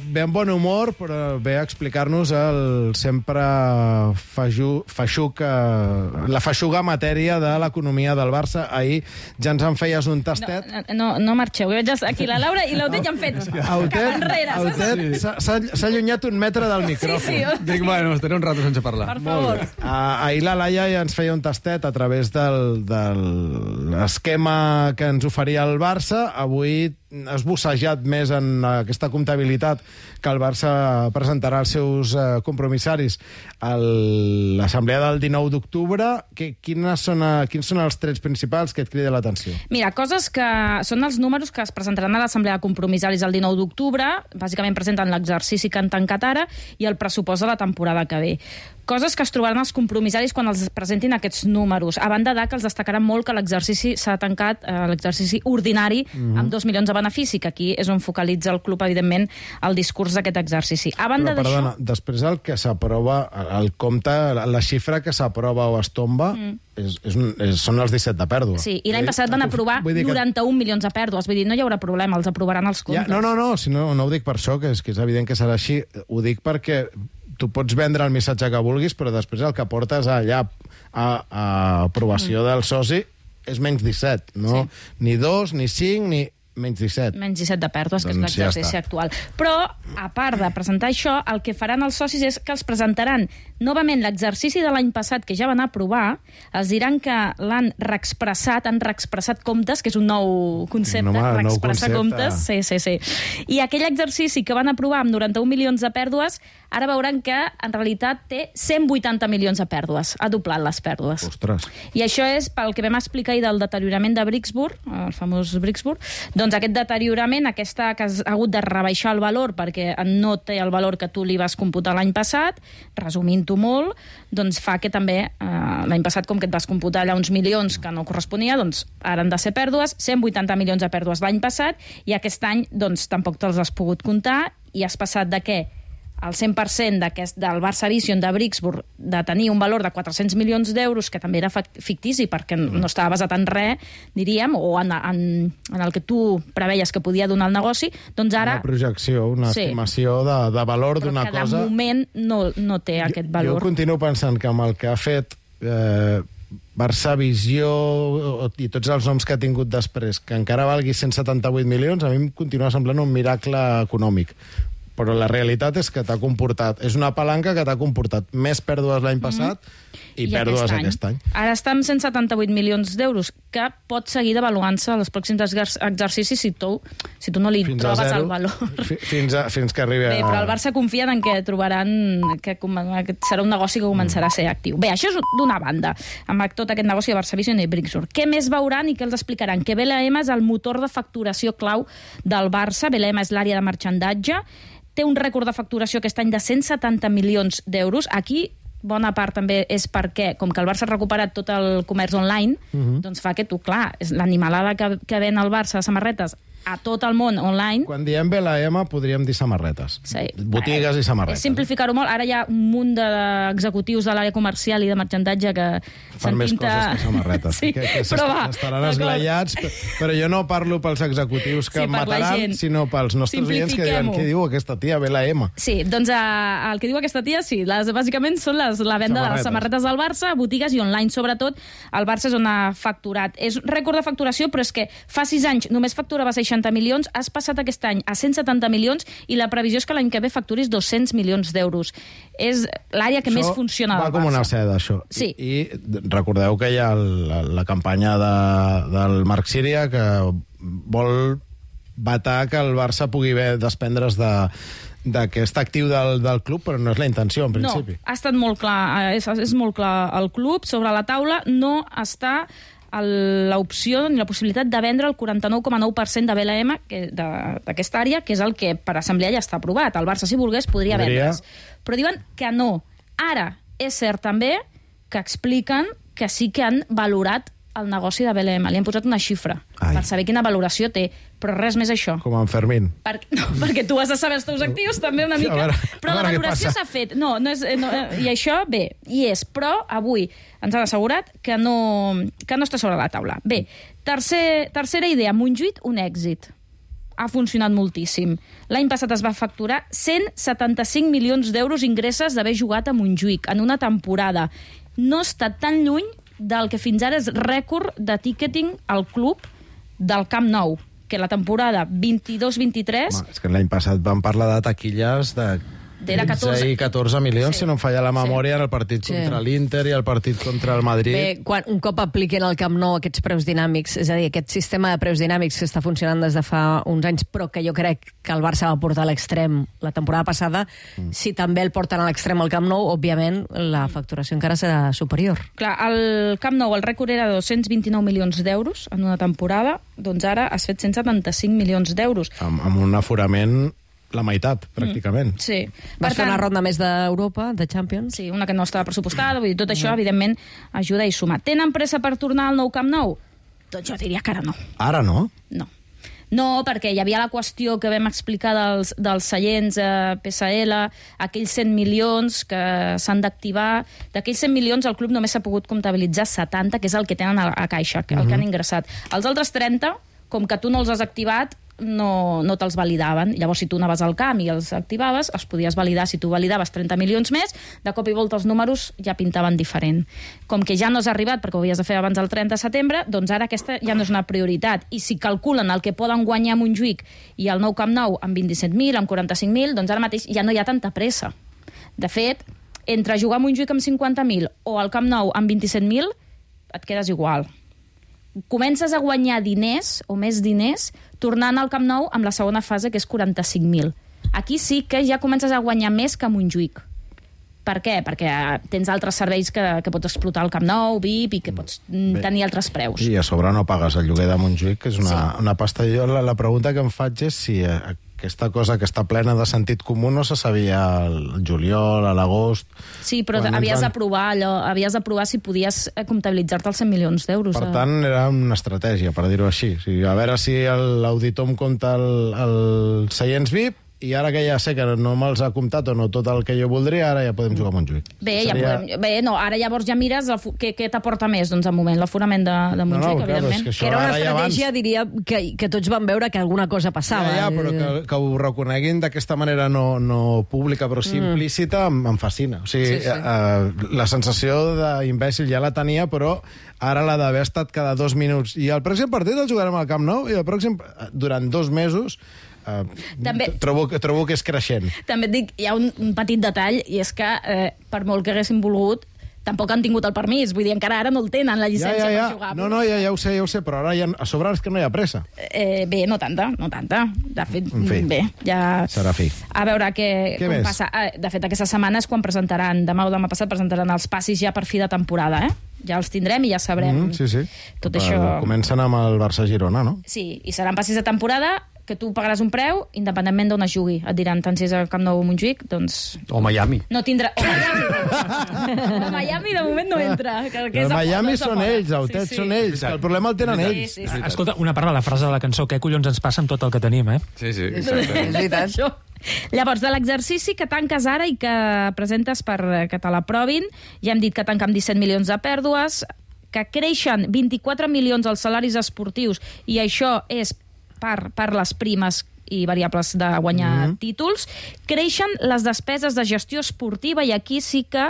ve amb bon humor, però ve a explicar-nos el sempre feixu, feixuc, eh, la feixuga matèria de l'economia del Barça. Ahir ja ens en feies un tastet. No, no, no marxeu, jo veig aquí la Laura i l'Autet ja han fet cap enrere, saps? Autet s'ha- s'ha s'ha allunyat un metre del micròfon. Sí, sí. Dic, bueno, estaré un rato sense parlar. Per favor. Uh, ahir la Laia ja ens feia un tastet a través del, del l'esquema que ens oferia el Barça. Avui has bussejat més en aquesta comptabilitat que el Barça presentarà als seus uh, compromissaris a l'assemblea del dinou d'octubre. Que- Quines són, uh, quins són els trets principals que et criden l'atenció? Mira, coses que són els números que es presentaran a l'Assemblea de Compromissaris el dinou d'octubre. Bàsicament presenten l'exercici que han tancat ara i el pressupost de la temporada que ve. Coses que es trobaran els compromissaris quan els presentin aquests números. A banda de que els destacaran molt que l'exercici s'ha tancat, eh, l'exercici ordinari, Mhm. amb dos milions de benefici, que aquí és on focalitza el club, evidentment, el discurs d'aquest exercici. A banda Però, perdona, d'això... després el que s'aprova, el compte, la, la xifra que s'aprova o es tomba, Mm. és, és, un- és, són els disset de pèrdua. Sí, i l'any passat van aprovar Vull dir que- noranta-un milions de pèrdues. Vull dir, no hi haurà problema, els aprovaran els Ja, comptes. no, no, no, si no, no ho dic per això, que és, que és evident que serà així. Ho dic perquè tu pots vendre el missatge que vulguis, però després el que portes allà a, a aprovació del soci és menys disset, no? Sí. Ni dos, ni cinc, ni menys disset. Menys disset de pèrdues, que Doncs és ja l'exercici està. actual. Però, a part de presentar això, el que faran els socis és que els presentaran novament l'exercici de l'any passat, que ja van aprovar, els diran que l'han reexpressat, han reexpressat comptes, que és un nou concepte, No, home, nou reexpressar concepte. comptes. Sí, sí, sí. I aquell exercici que van aprovar amb noranta-un milions de pèrdues, ara veuran que, en realitat, té cent vuitanta milions de pèrdues. Ha doblat les pèrdues. Ostres. I això és pel que vam explicar ahir del deteriorament de Brixburg, el famós Brixburg. Doncs aquest deteriorament, aquesta que has hagut de rebaixar el valor perquè no té el valor que tu li vas computar l'any passat, resumint-ho molt, doncs fa que també eh, l'any passat, com que et vas computar allà uns milions que no corresponia, doncs ara han de ser pèrdues, cent vuitanta milions de pèrdues l'any passat, i aquest any doncs tampoc te'ls has pogut comptar, i has passat de què? el cent per cent d'aquest, del Barça Vision de Brixburg de tenir un valor de quatre-cents milions d'euros, que també era fictici perquè no estava basat en res, diríem, o en, en, en el que tu preveies que podia donar el negoci, doncs ara... Una projecció, una sí. estimació de, de valor d'una cosa... Però que de moment no, no té jo, aquest valor. Jo continuo pensant que amb el que ha fet eh, Barça Visió i tots els noms que ha tingut després, que encara valgui cent setanta-vuit milions, a mi em continua semblant un miracle econòmic. Però la realitat és que t'ha comportat... És una palanca que t'ha comportat més pèrdues l'any passat mm. i, I pèrdues aquest any. aquest any. Ara està amb cent setanta-vuit milions d'euros, que pot seguir devaluant-se als pròxims exercicis si tu, si tu no li fins trobes zero, el valor. Fins, a, fins que arribi a... Bé, però el Barça confia en què trobaran que, que serà un negoci que començarà a ser actiu. Bé, això és d'una banda, amb tot aquest negoci de Barça Vision i Brixburg. Què més veuran i què els explicaran? Que B L M és el motor de facturació clau del Barça. B L M és l'àrea de marxandatge, té un rècord de facturació aquest any de cent setanta milions d'euros. Aquí, bona part també és perquè, com que el Barça ha recuperat tot el comerç online, uh-huh. doncs fa que tu, clar, és l'animalada que, que ven el Barça a samarretes a tot el món online. Quan diem B L M podríem dir samarretes. Sí. Botigues i samarretes. És simplificar-ho molt. Ara hi ha un munt d'executius de l'àrea comercial i de marxandatge que fan més pinta... coses que samarretes. Sí, que, que però va. Estaran esglaiats, però jo no parlo pels executius que sí, mataran, sinó pels nostres clients que diuen què diu aquesta tia, B L M. Sí, doncs uh, el que diu aquesta tia, sí, les, bàsicament són les, la venda samarretes. de les samarretes del Barça, botigues i online, sobretot. El Barça és on ha facturat. És un rècord de facturació, però és que fa sis anys només facturava seixanta milions, has passat aquest any a cent setanta milions i la previsió és que l'any que ve facturis dos-cents milions d'euros. És l'àrea que això més funciona del Barça. Va com una seda, això. Sí. I, I recordeu que hi ha la, la campanya de, del Marc Síria que vol vetar que el Barça pugui desprendre's de d'aquest actiu del, del club, però no és la intenció, en principi. No, ha estat molt clar, és, és molt clar el club. Sobre la taula no està l'opció ni la possibilitat de vendre el quaranta-nou coma nou per cent de B L M d'aquesta àrea, que és el que per assemblea ja està aprovat. El Barça, si volgués, podria, podria. vendre's. Però diuen que no. Ara, és cert també que expliquen que sí que han valorat el negoci de B L M. Li han posat una xifra Ai. per saber quina valoració té, però res més això. Com en Fermín. Per, no, perquè tu has de saber els teus actius també una mica, veure, però la valoració s'ha fet. No, no és, no, i això, bé, hi és, però avui ens han assegurat que no, que no està sobre la taula. Bé, tercer, tercera idea, Montjuïc, un èxit. Ha funcionat moltíssim. L'any passat es va facturar cent setanta-cinc milions d'euros ingresses d'haver jugat a Montjuïc en una temporada. No està tan lluny del que fins ara és rècord de ticketing al club del Camp Nou, que la temporada vint-i-dos vint-i-tres... És que l'any passat vam parlar de taquilles de tretze i catorze milions, sí. si no em falla la memòria, sí. en el partit sí. contra l'Inter i el partit contra el Madrid. Bé, quan un cop apliquen al Camp Nou aquests preus dinàmics, és a dir, aquest sistema de preus dinàmics que està funcionant des de fa uns anys, però que jo crec que el Barça va portar a l'extrem la temporada passada, mm. si també el porten a l'extrem al Camp Nou, òbviament la facturació encara serà superior. Clar, el Camp Nou el rècord era de dos-cents vint-i-nou milions d'euros en una temporada, doncs ara has fet cent setanta-cinc milions d'euros. Amb, amb un aforament la meitat, pràcticament. Mm, sí. Vas fer una ronda més d'Europa, de Champions? Sí, una que no estava pressupostada, vull dir, tot això, mm. evidentment, ajuda i suma. Tenen pressa per tornar al nou Camp Nou? Doncs jo diria que ara no. Ara no? No. No, perquè hi havia la qüestió que vam explicar dels, dels seients eh, P S L, aquells cent milions que s'han d'activar. D'aquells cent milions el club només s'ha pogut comptabilitzar setanta, que és el que tenen a, a caixa, que, mm-hmm. el que han ingressat. Els altres trenta, com que tu no els has activat, no, no te'ls validaven. Llavors, si tu anaves al camp i els activaves, els podies validar. Si tu validaves trenta milions més, de cop i volta els números ja pintaven diferent. Com que ja no has arribat, perquè ho havies de fer abans del trenta de setembre, doncs ara aquesta ja no és una prioritat. I si calculen el que poden guanyar a Montjuïc i el nou Camp Nou amb vint-i-set mil, amb quaranta-cinc mil, doncs ara mateix ja no hi ha tanta pressa. De fet, entre jugar a Montjuïc amb cinquanta mil o al Camp Nou amb vint-i-set mil, et quedes igual. Comences a guanyar diners, o més diners, tornant al Camp Nou amb la segona fase, que és quaranta-cinc mil. Aquí sí que ja comences a guanyar més que a Montjuïc. Per què? Perquè tens altres serveis que, que pots explotar al Camp Nou, V I P, i que pots Bé. tenir altres preus. I a sobre no pagues el lloguer de Montjuïc, que és una, sí. una pasta. Jo la, la pregunta que em faig és si aquesta cosa que està plena de sentit comú no se sabia al juliol, a l'agost... Sí, però havies d'aprovar allò, havies d'aprovar si podies comptabilitzar-te els cent milions d'euros. Per tant, era una estratègia, per dir-ho així. O sigui, a veure si l'auditor em compta el, el seients V I P i ara que ja sé que no me'ls ha comptat o no tot el que jo voldria, ara ja podem jugar a Montjuïc. Bé, ja Seria... podem, bé, no, ara llavors ja mires el, què, què t'aporta més, doncs, al moment, l'aforament de, de Montjuïc, no, no, clar, evidentment. Que, que era una estratègia, diria, que, que tots van veure que alguna cosa passava. Ja, ja, però que, que ho reconeguin d'aquesta manera no, no pública, però sí Mm. implícita, em, em fascina. O sigui, Sí, sí. eh, la sensació d'imbècil ja la tenia, però ara l'ha d'haver estat cada dos minuts. I el pròxim partit el jugarem al Camp Nou, i el pròxim, durant dos mesos, Uh, També- trobo, trobo que és creixent. També et dic, hi ha un, un petit detall, i és que, eh, per molt que haguessin volgut, tampoc han tingut el permís. Vull dir, encara ara no el tenen, la Ja, llicència ja, ja. per jugar. No, no, ja, ja ho sé, ja ho sé, però ara ja, a sobre és que no hi ha pressa. Eh, bé, no tanta, no tanta. De fet, En fi. bé, ja... Serà fi. A veure què, Què com més? passa. Eh, De fet, aquesta setmana és quan presentaran, demà o demà passat, presentaran els passis ja per fi de temporada, eh? Ja els tindrem i ja sabrem Mm, sí, sí. tot Però això. Comencen amb el Barça-Girona, no? Sí, i seran passis de temporada que tu pagaràs un preu, independentment d'on es jugui. Et diran, tant si és al Camp Nou o Montjuïc, doncs... O Miami. No tindrà... O Miami. O Miami de moment no entra. Que, que és El a Miami fora, és a són fora. ells, Autet, Sí, sí. són ells. Que el problema el tenen ells. Sí, sí, sí. Escolta, una part de la frase de la cançó, què collons ens passa amb tot el que tenim, eh? Sí, sí, És veritat. Això. Llavors, de l'exercici que tanques ara i que presentes per que te l'aprovin, ja hem dit que tanca amb disset milions de pèrdues, que creixen vint-i-quatre milions els salaris esportius, i això és per, per les primes i variables de guanyar mm -hmm. títols, creixen les despeses de gestió esportiva, i aquí sí que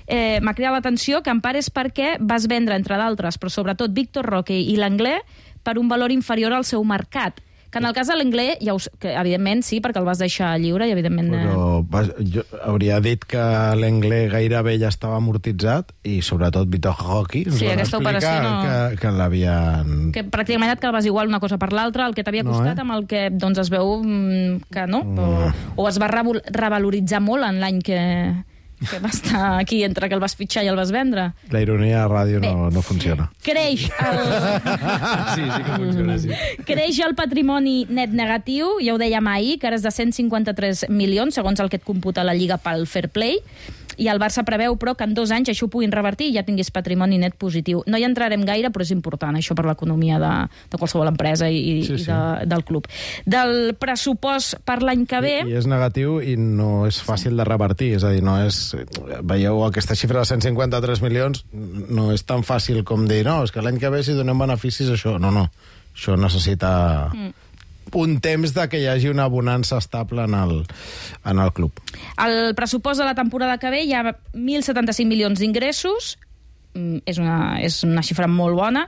eh, m'ha cridat l'atenció que en part és perquè vas vendre, entre d'altres, però sobretot Víctor Roque i l'Anglès, per un valor inferior al seu mercat. Que en el cas de l'Anglès, ja us, que evidentment sí, perquè el vas deixar lliure i evidentment... Eh... Però vas, jo hauria dit que l'Anglès gairebé ja estava amortitzat i sobretot Vitor Roque ens Sí, van aquesta explicar operació no- que, que l'havien... que pràcticament et quedaves igual una cosa per l'altra, el que t'havia No, costat eh? amb el que doncs, es veu mm, que no, o, o es va revol- revaloritzar molt en l'any que, que va estar aquí entre que el vas fitxar i el vas vendre. La ironia a ràdio no, no funciona. Creix el... Sí, sí que funciona, sí. Creix el patrimoni net negatiu, ja ho dèiem ahir, que ara és de cent cinquanta-tres milions, segons el que et computa la Lliga pel Fair Play, i el Barça preveu, però, que en dos anys això ho puguin revertir i ja tinguis patrimoni net positiu. No hi entrarem gaire, però és important, això, per l'economia de, de qualsevol empresa i, Sí, i sí. de, del club. Del pressupost per l'any que ve... I és negatiu i no és fàcil de revertir, és a dir, no és... Veieu, aquesta xifra de cent cinquanta-tres milions no és tan fàcil com dir, no, és que l'any que ve si donem beneficis això... No, no, això necessita... Mm. un temps de que hi hagi una bonança estable en el, en el club. El pressupost de la temporada que ve hi ha mil setanta-cinc milions d'ingressos, mm, és una, és una xifra molt bona,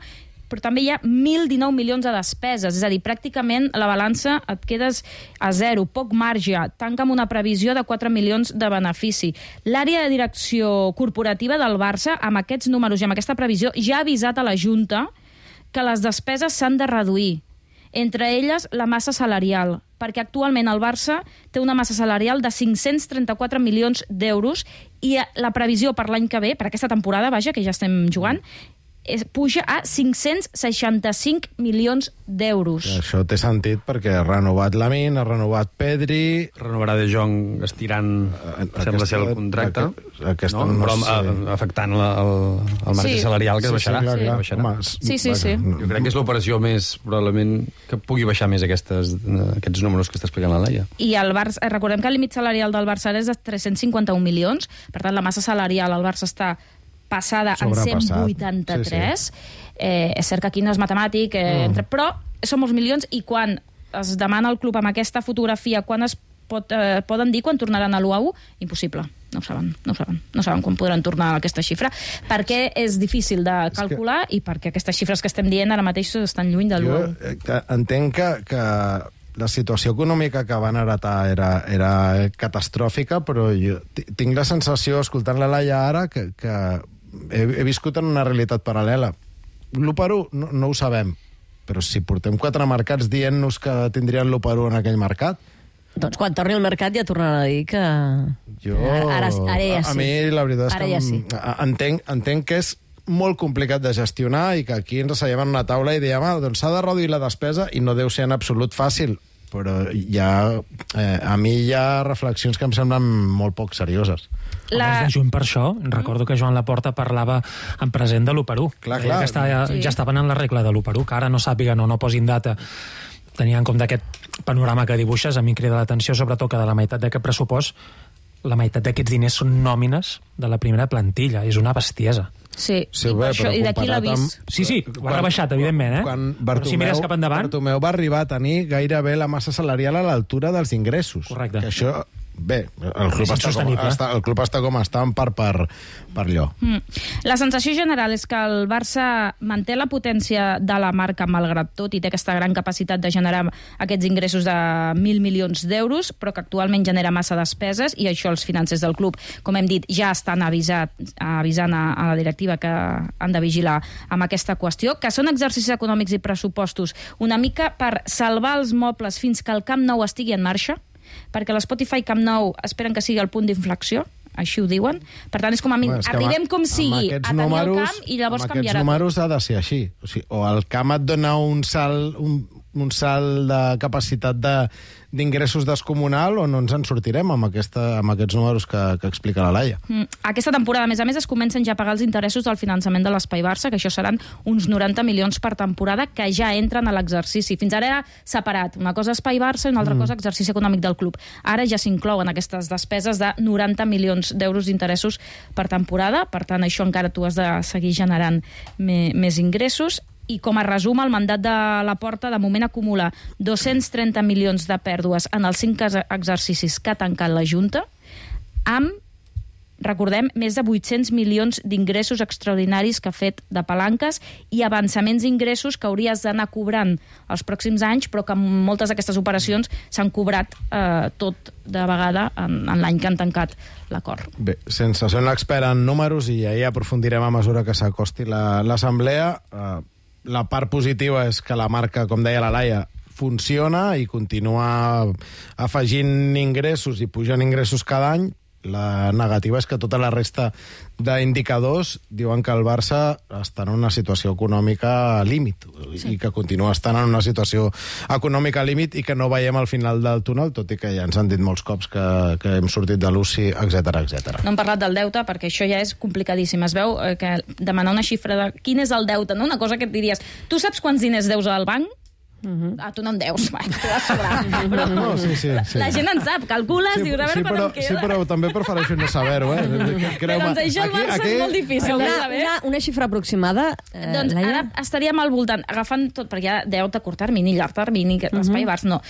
però també hi ha mil dinou milions de despeses, és a dir, pràcticament la balança et quedes a zero, poc marge, tanca amb una previsió de quatre milions de benefici. L'àrea de direcció corporativa del Barça, amb aquests números i amb aquesta previsió, ja ha avisat a la Junta que les despeses s'han de reduir, entre elles la massa salarial, perquè actualment el Barça té una massa salarial de cinc-cents trenta-quatre milions d'euros i la previsió per l'any que ve, per aquesta temporada, vaja, que ja estem jugant, es puja a cinc-cents seixanta-cinc milions d'euros. Això té sentit perquè ha renovat Lamin, ha renovat Pedri... Renovarà De Jong estirant, sembla ser el contracte, aquesta no? no Però sé. a- afectant la, el, el marge Sí. salarial que es Sí, sí, baixarà. clar, clar. baixarà. Home, s- Sí, sí, sí. Jo crec que és l'operació més, probablement, que pugui baixar més aquestes, aquests números que està explicant la Laia. I el Barça, eh, recordem que el límit salarial del Barça ara és de tres-cents cinquanta-un milions, per tant la massa salarial al Barça està passada en Sobrepassat. cent vuitanta-tres. Sí, Eh, és cert que aquí no és matemàtic, eh, Mm. entre, però són molts milions, i quan es demana al club amb aquesta fotografia quan es pot, eh, poden dir quan tornaran a l'u a u, impossible. No ho saben, no ho saben. No saben quan podran tornar a aquesta xifra, perquè és difícil de calcular i perquè aquestes xifres que estem dient ara mateix estan lluny de l'u a u. Jo eh, que entenc que, que la situació econòmica que van heretar era, era catastròfica, però jo ti- tinc la sensació, escoltant la Laia ara, que, que he, he viscut en una realitat paral·lela. L'u per u no, no ho sabem, però si portem quatre mercats dient-nos que tindrien l'u per u en aquell mercat, Doncs quan torni al mercat ja tornarà a dir que... jo... Ara, ara ja sí. A mi la veritat és Ara que ja em- sí. a- entenc, entenc que és molt complicat de gestionar i que aquí ens asseiem en una taula i diem, ah, doncs s'ha de reduir la despesa i no deu ser en absolut fàcil, però hi ha, eh, a mi hi ha reflexions que em semblen molt poc serioses. La... de juny per això, recordo que Joan Laporta parlava en present de l'u per u. Clar, Deia clar. Que està, Sí. ja estaven en la regla de l'u per u, que ara no sàpiguen o no posin data, tenia en compte aquest panorama que dibuixes a mi em crida l'atenció, sobretot que de la meitat d'aquest pressupost, la meitat d'aquests diners són nòmines de la primera plantilla. És una bestiesa. Sí, Sí, i, bé, per això, però i d'aquí comparat l'avís. amb- Sí, sí, ho ha rebaixat, evidentment, eh? Quan Però si mires cap endavant... Bartomeu va arribar a tenir gairebé la massa salarial a l'altura dels ingressos. Correcte. Que això... Bé, el club, És està com, insostenible. està, el club està com està en part per, per allò. Mm. La sensació general és que el Barça manté la potència de la marca malgrat tot i té aquesta gran capacitat de generar aquests ingressos de mil milions d'euros, però que actualment genera massa despeses i això els financers del club, com hem dit, ja estan avisat, avisant a, a la directiva que han de vigilar amb aquesta qüestió, que són exercicis econòmics i pressupostos una mica per salvar els mobles fins que el Camp Nou estigui en marxa, perquè l'Spotify Camp Nou esperen que sigui el punt d'inflexió, així ho diuen. Per tant, és com a mi, Bueno, és que arribem amb- com amb sigui a aquests tenir números- el camp i llavors amb canviarà. aquests números ha de ser així. O, sigui, o el camp et dona un salt, un, un salt de capacitat de d'ingressos descomunal o no ens en sortirem amb, aquesta, amb aquests números que, que explica la Laia. Mm. Aquesta temporada, a més a més, es comencen ja a pagar els interessos del finançament de l'Espai Barça, que això seran uns noranta milions per temporada que ja entren a l'exercici. Fins ara era separat. Una cosa Espai Barça i una altra mm. cosa exercici econòmic del club. Ara ja s'inclouen aquestes despeses de noranta milions d'euros d'interessos per temporada. Per tant, això encara tu has de seguir generant me, més ingressos. I com a resum, el mandat de la Porta de moment acumula dos-cents trenta milions de pèrdues en els cinc exercicis que ha tancat la Junta, amb, recordem, més de vuit-cents milions d'ingressos extraordinaris que ha fet de palanques i avançaments d'ingressos que hauries d'anar cobrant els pròxims anys, però que moltes d'aquestes operacions s'han cobrat eh, tot de vegada en, en l'any que han tancat l'acord. Bé, sense ser un expert en números, i ahir aprofundirem a mesura que s'acosti l'assemblea, eh, la part positiva és que la marca, com deia la Laia, funciona i continua afegint ingressos i pujant ingressos cada any. La negativa és que tota la resta d'indicadors diuen que el Barça està en una situació econòmica límit sí. i que continua estant en una situació econòmica límit i que no veiem al final del túnel, tot i que ja ens han dit molts cops que, que hem sortit de l'U C I, etcètera etcètera. No hem parlat del deute perquè això ja és complicadíssim. Es veu que demanar una xifra de quin és el deute, no? Una cosa que et diries, tu saps quants diners deus al banc? Uh-huh. Ah, tu no en deus, va, tu vas sobrar. Però no, sí, sí, sí. La gent en sap, calcules, sí, dius, a veure sí, quan però, em queda. Sí, però també prefereixo no saber-ho, eh? Però doncs això al Barça aquí, és molt difícil una, de saber. Una, una xifra aproximada, eh, doncs Laia? ara estaríem al voltant, agafant tot, perquè hi ha deute a curt termini, llarg termini, l'espai uh-huh. Barça, no.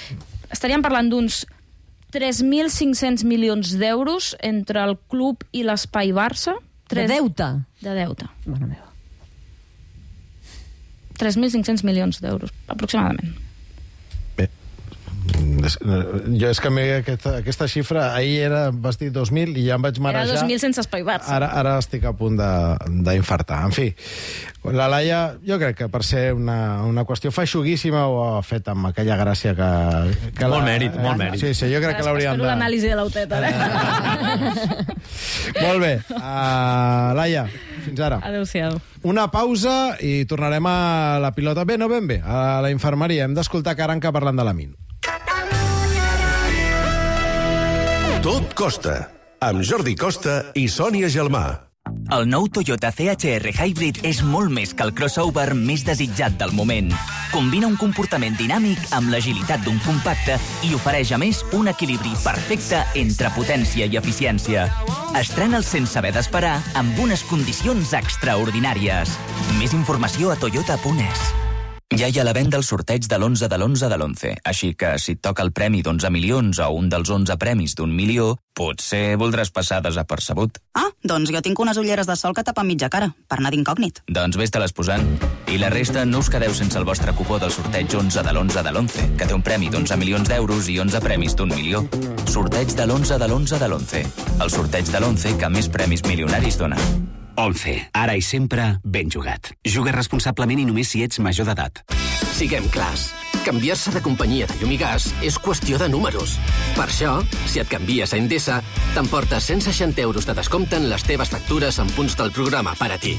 Estaríem parlant d'uns tres mil cinc-cents milions d'euros entre el club i l'espai Barça. De deute? De deute. Mare meva. tres mil cinc-cents milions d'euros, aproximadament. Jo és que a mi aquesta, aquesta xifra ahir era, vas dir dos mil i ja em vaig marejar. Era dos mil sense Espai Barça. Ara, ara estic a punt d'infartar. En fi, la Laia, jo crec que per ser una, una qüestió feixuguíssima ho ha fet amb aquella gràcia que... que molt la, mèrit, molt mèrit. Sí, sí, jo crec que l'hauríem de... Espero l'anàlisi de l'auteta, eh? Molt bé. Uh, Laia, fins ara. Adéu-siau. Una pausa i tornarem a la pilota. Bé, no ben bé, a la infermeria. Hem d'escoltar Caranca parlant de la Min. Tot costa, amb Jordi Costa i Sònia Gelmà. El nou Toyota C H R Hybrid és molt més que el crossover més desitjat del moment. Combina un comportament dinàmic amb l'agilitat d'un compacte i ofereix, a més, un equilibri perfecte entre potència i eficiència. Estrena'l sense haver d'esperar amb unes condicions extraordinàries. Més informació a toyota punt es. Ja hi ha la venda al sorteig de l'onze de l'onze de l'onze, així que si et toca el premi d'onze milions o un dels onze premis d'un milió, potser voldràs passar desapercebut. Ah, doncs jo tinc unes ulleres de sol que tapen mitja cara, per anar d'incògnit. Doncs vés-te-les posant. I la resta no us quedeu sense el vostre cupó del sorteig onze de l'onze de l'onze, que té un premi d'onze milions d'euros i onze premis d'un milió. Sorteig de l'onze de l'onze de l'onze. El sorteig de l'onze que més premis milionaris dona. once. Ara i sempre, ben jugat. Juga responsablement i només si ets major d'edat. Siguem clars. Canviar-se de companyia de llum i gas és qüestió de números. Per això, si et canvies a Endesa, t'emportes cent seixanta euros de descompte en les teves factures en punts del programa per a ti.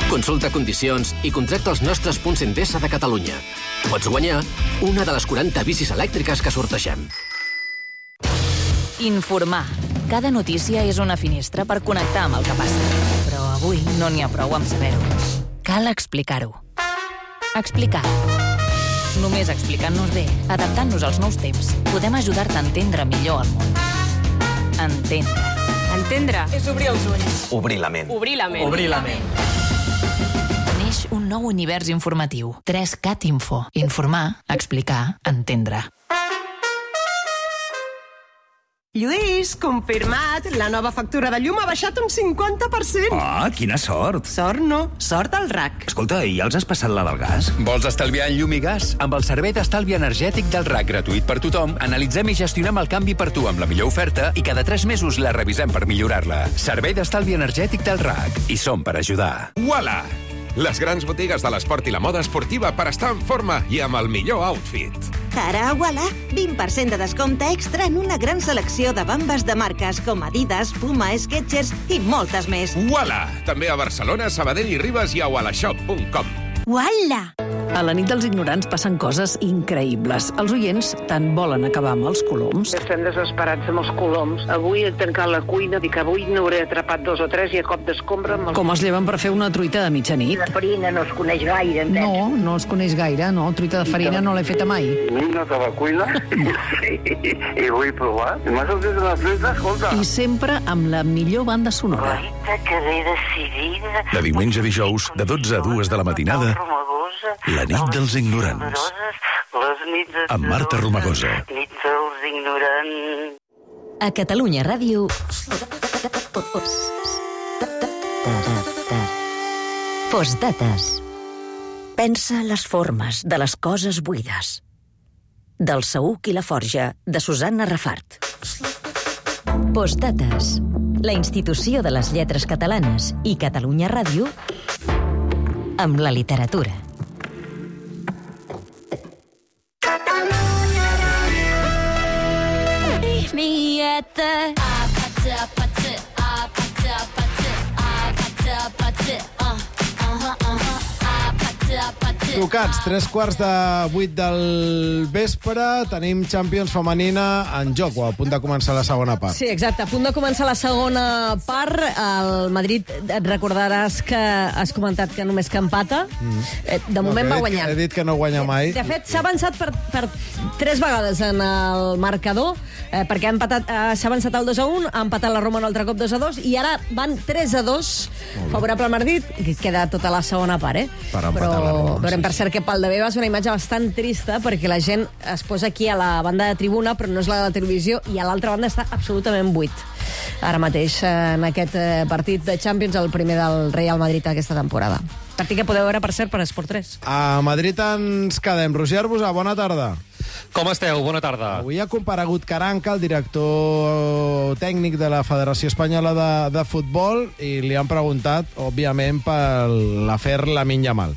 Consulta condicions i contracta els nostres punts Endesa de Catalunya. Pots guanyar una de les quaranta bicis elèctriques que sortegem. Informar. Cada notícia és una finestra per connectar amb el que passa. Però avui no n'hi ha prou amb saber-ho. Cal explicar-ho. Explicar. Només explicant-nos bé, adaptant-nos als nous temps, podem ajudar-te a entendre millor el món. Entendre. Entendre és obrir els ulls. Obrir la ment. Obrir la ment. Obrir la ment. Neix un nou univers informatiu. tres cat Info. Informar, explicar, entendre. Lluís, confirmat, la nova factura de llum ha baixat un cinquanta per cent. Ah, quina sort. Sort no, sort al R A C. Escolta, i ja els has passat la del gas? Vols estalviar en llum i gas? Amb el servei d'estalvi energètic del R A C gratuït per tothom, analitzem i gestionem el canvi per tu amb la millor oferta i cada tres mesos la revisem per millorar-la. Servei d'estalvi energètic del R A C. I som per ajudar. Uala! Les grans botigues de l'esport i la moda esportiva per estar en forma i amb el millor outfit. Ara a Uala, vint per cent de descompte extra en una gran selecció de bambes de marques com Adidas, Puma, Skechers i moltes més. Uala! També a Barcelona, Sabadell i Ribes i a ualashop punt com. Uala! A la nit dels ignorants passen coses increïbles. Els oients tant volen acabar amb els coloms. Estem desesperats amb els coloms. Avui he tancat la cuina, dic que avui n'hauré atrapat dos o tres i a cop d'escombra... Els... Com es lleven per fer una truita de mitjanit. La farina no es coneix gaire, em No, no es coneix gaire, no. Truita de farina no l'he feta mai. Vinc a la cuina i, i vull provar. I m'ha sortit una truita, escolta. I sempre amb la millor banda sonora. Guaita, que bé decidida. De diumenge a dijous, de dotze a dues de la matinada, La nit dels ignorants. Les nits Amb Marta Romagosa. Nit dels ignorants. A Catalunya Ràdio... Postdates. Pensa les formes de les coses buides. Del Saüc i la Forja, de Susanna Rafart. Postdates. La institució de les lletres catalanes i Catalunya Ràdio amb la literatura. Me at the apata apata apata apata apata uh uh uh apata apata. Tocats, tres quarts de vuit del vespre, tenim Champions femenina en joc, o a punt de començar la segona part. Sí, exacte, a punt de començar la segona part. El Madrid, et recordaràs que has comentat que només que empata. Mm. De moment no, va guanyant. He dit que no guanya mai. De fet, s'ha avançat per, per tres vegades en el marcador, eh, perquè ha empatat, eh, s'ha avançat el dos a un, ha empatat la Roma un altre cop dos a dos, i ara van tres a dos favorable al Madrid, i queda tota la segona part, eh? Per empatar Però la Roma, veurem, sí, per cert, que pel de bé va ser una imatge bastant trista, perquè la gent es posa aquí a la banda de tribuna, però no és la de la televisió, i a l'altra banda està absolutament buit. Ara mateix, en aquest partit de Champions, el primer del Real Madrid aquesta temporada. Partit que podeu veure, per cert, per Esport tres. A Madrid ens quedem. Roger Arbusà, bona tarda. Com esteu? Bona tarda. Avui ha comparegut Caranca, el director tècnic de la Federació Espanyola de, de Futbol, i li han preguntat, òbviament, per l'afer Lamine Yamal.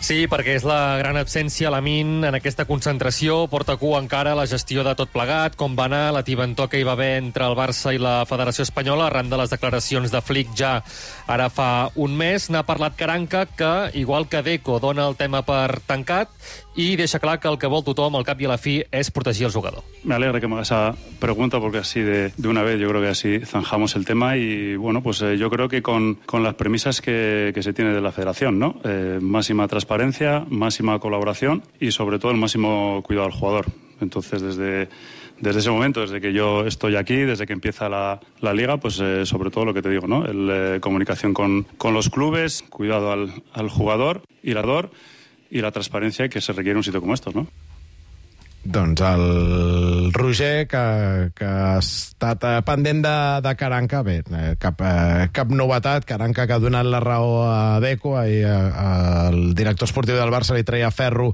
Sí, perquè és la gran absència, Lamine, en aquesta concentració. Porta cua encara la gestió de tot plegat, com va anar la tibantor que hi va haver entre el Barça i la Federació Espanyola, arran de les declaracions de Flick ja ara fa un mes. N'ha parlat Caranca, que, igual que Deco, dona el tema per tancat i deixa clar que el que vol tothom, al cap i a la fi, és protegir el jugador. Me alegra que me hagas esa pregunta, porque así de, de una vez yo creo que así zanjamos el tema y, bueno, pues eh, yo creo que con, con las premisas que, que se tiene de la federación, ¿no? Eh, máxima transparencia, máxima colaboración y, sobre todo, el máximo cuidado al jugador. Entonces, desde, desde ese momento, desde que yo estoy aquí, desde que empieza la, la liga, pues eh, sobre todo lo que te digo, ¿no? El, eh, comunicación con, con los clubes, cuidado al, al jugador y la dor, y la transparència que se requiere en un sitio como estos, no? Doncs el Roger, que, que ha estat pendent de, de Caranca, bé, cap, cap novetat. Caranca, que ha donat la raó a Deco, i el director esportiu del Barça li treia ferro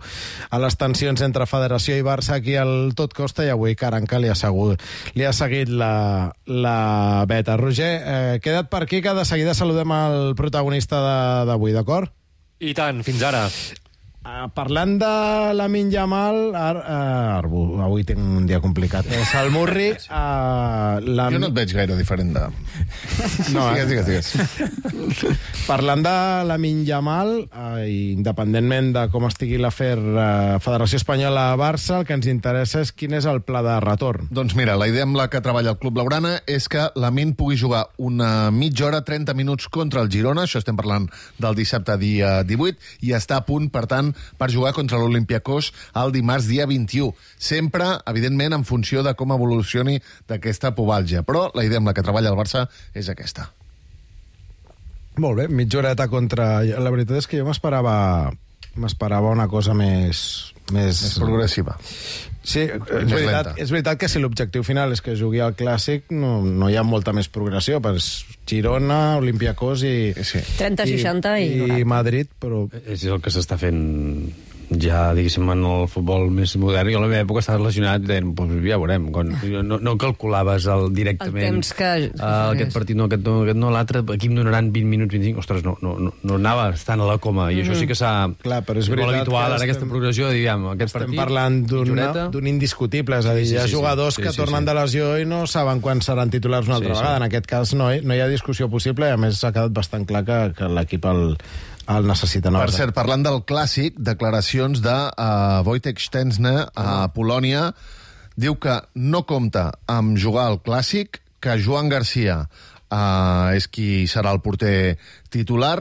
a les tensions entre Federació i Barça aquí al Tot Costa, i avui Caranca li ha, segut, li ha seguit la, la beta. Roger, eh, queda't per aquí, que de seguida saludem el protagonista d'avui, d'acord? I tant, fins ara. Uh, parlant de Lamine Yamal, ar, uh, Arbu, avui tinc un dia complicat. És el Murri. Uh, la... Jo no et veig gaire diferent de... No, eh? Digues, digues, digues. Parlant de Lamine Yamal, uh, independentment de com estigui l'afer uh, Federació Espanyola-Barça, el que ens interessa és quin és el pla de retorn. Doncs mira, la idea amb la que treballa el Club Blaugrana és que Lamine pugui jugar una mitja hora, trenta minuts contra el Girona, això estem parlant del dissabte dia divuit, i està a punt, per tant, per jugar contra l'Olympiacos el dimarts dia vint-i-u. Sempre, evidentment, en funció de com evolucioni d'aquesta pubalgia. Però la idea amb la que treballa el Barça és aquesta. Molt bé, mitja horeta contra... La veritat és que jo m'esperava m'esperava una cosa més... Més, més progressiva. Sí, és veritat, és veritat que si l'objectiu final és que jugui al Clàssic, no, no hi ha molta més progressió, per Girona, Olympiacos i... Sí. trenta seixanta i, i, i Madrid, però... És el que s'està fent ja, diguéssim, en el futbol més modern. Jo a la meva època estava relacionat i deien, pues, ja veurem. Quan, no, no calculaves el, directament... El temps que... Uh, aquest partit no, aquest no, aquest no, l'altre, aquí em donaran vint minuts, vint-i-cinc... Ostres, no, no, no, no anava estant a la coma. I mm. això sí que s'ha... Clar, però és molt veritat habitual, ara, estem, aquesta progressió, diguem, aquest estem partit... parlant d'un indiscutible, és a dir, sí, sí, hi ha jugadors sí, sí, que sí, tornen sí. de lesió i no saben quan seran titulars una altra sí, vegada. Sí. En aquest cas no hi, no hi ha discussió possible i, a més, s'ha quedat bastant clar que, que l'equip el... el necessita. No? Per cert, parlant del Clàssic, declaracions de uh, Wojtek Szczęsny a Polònia, diu que no compta amb jugar al Clàssic, que Joan Garcia uh, és qui serà el porter titular,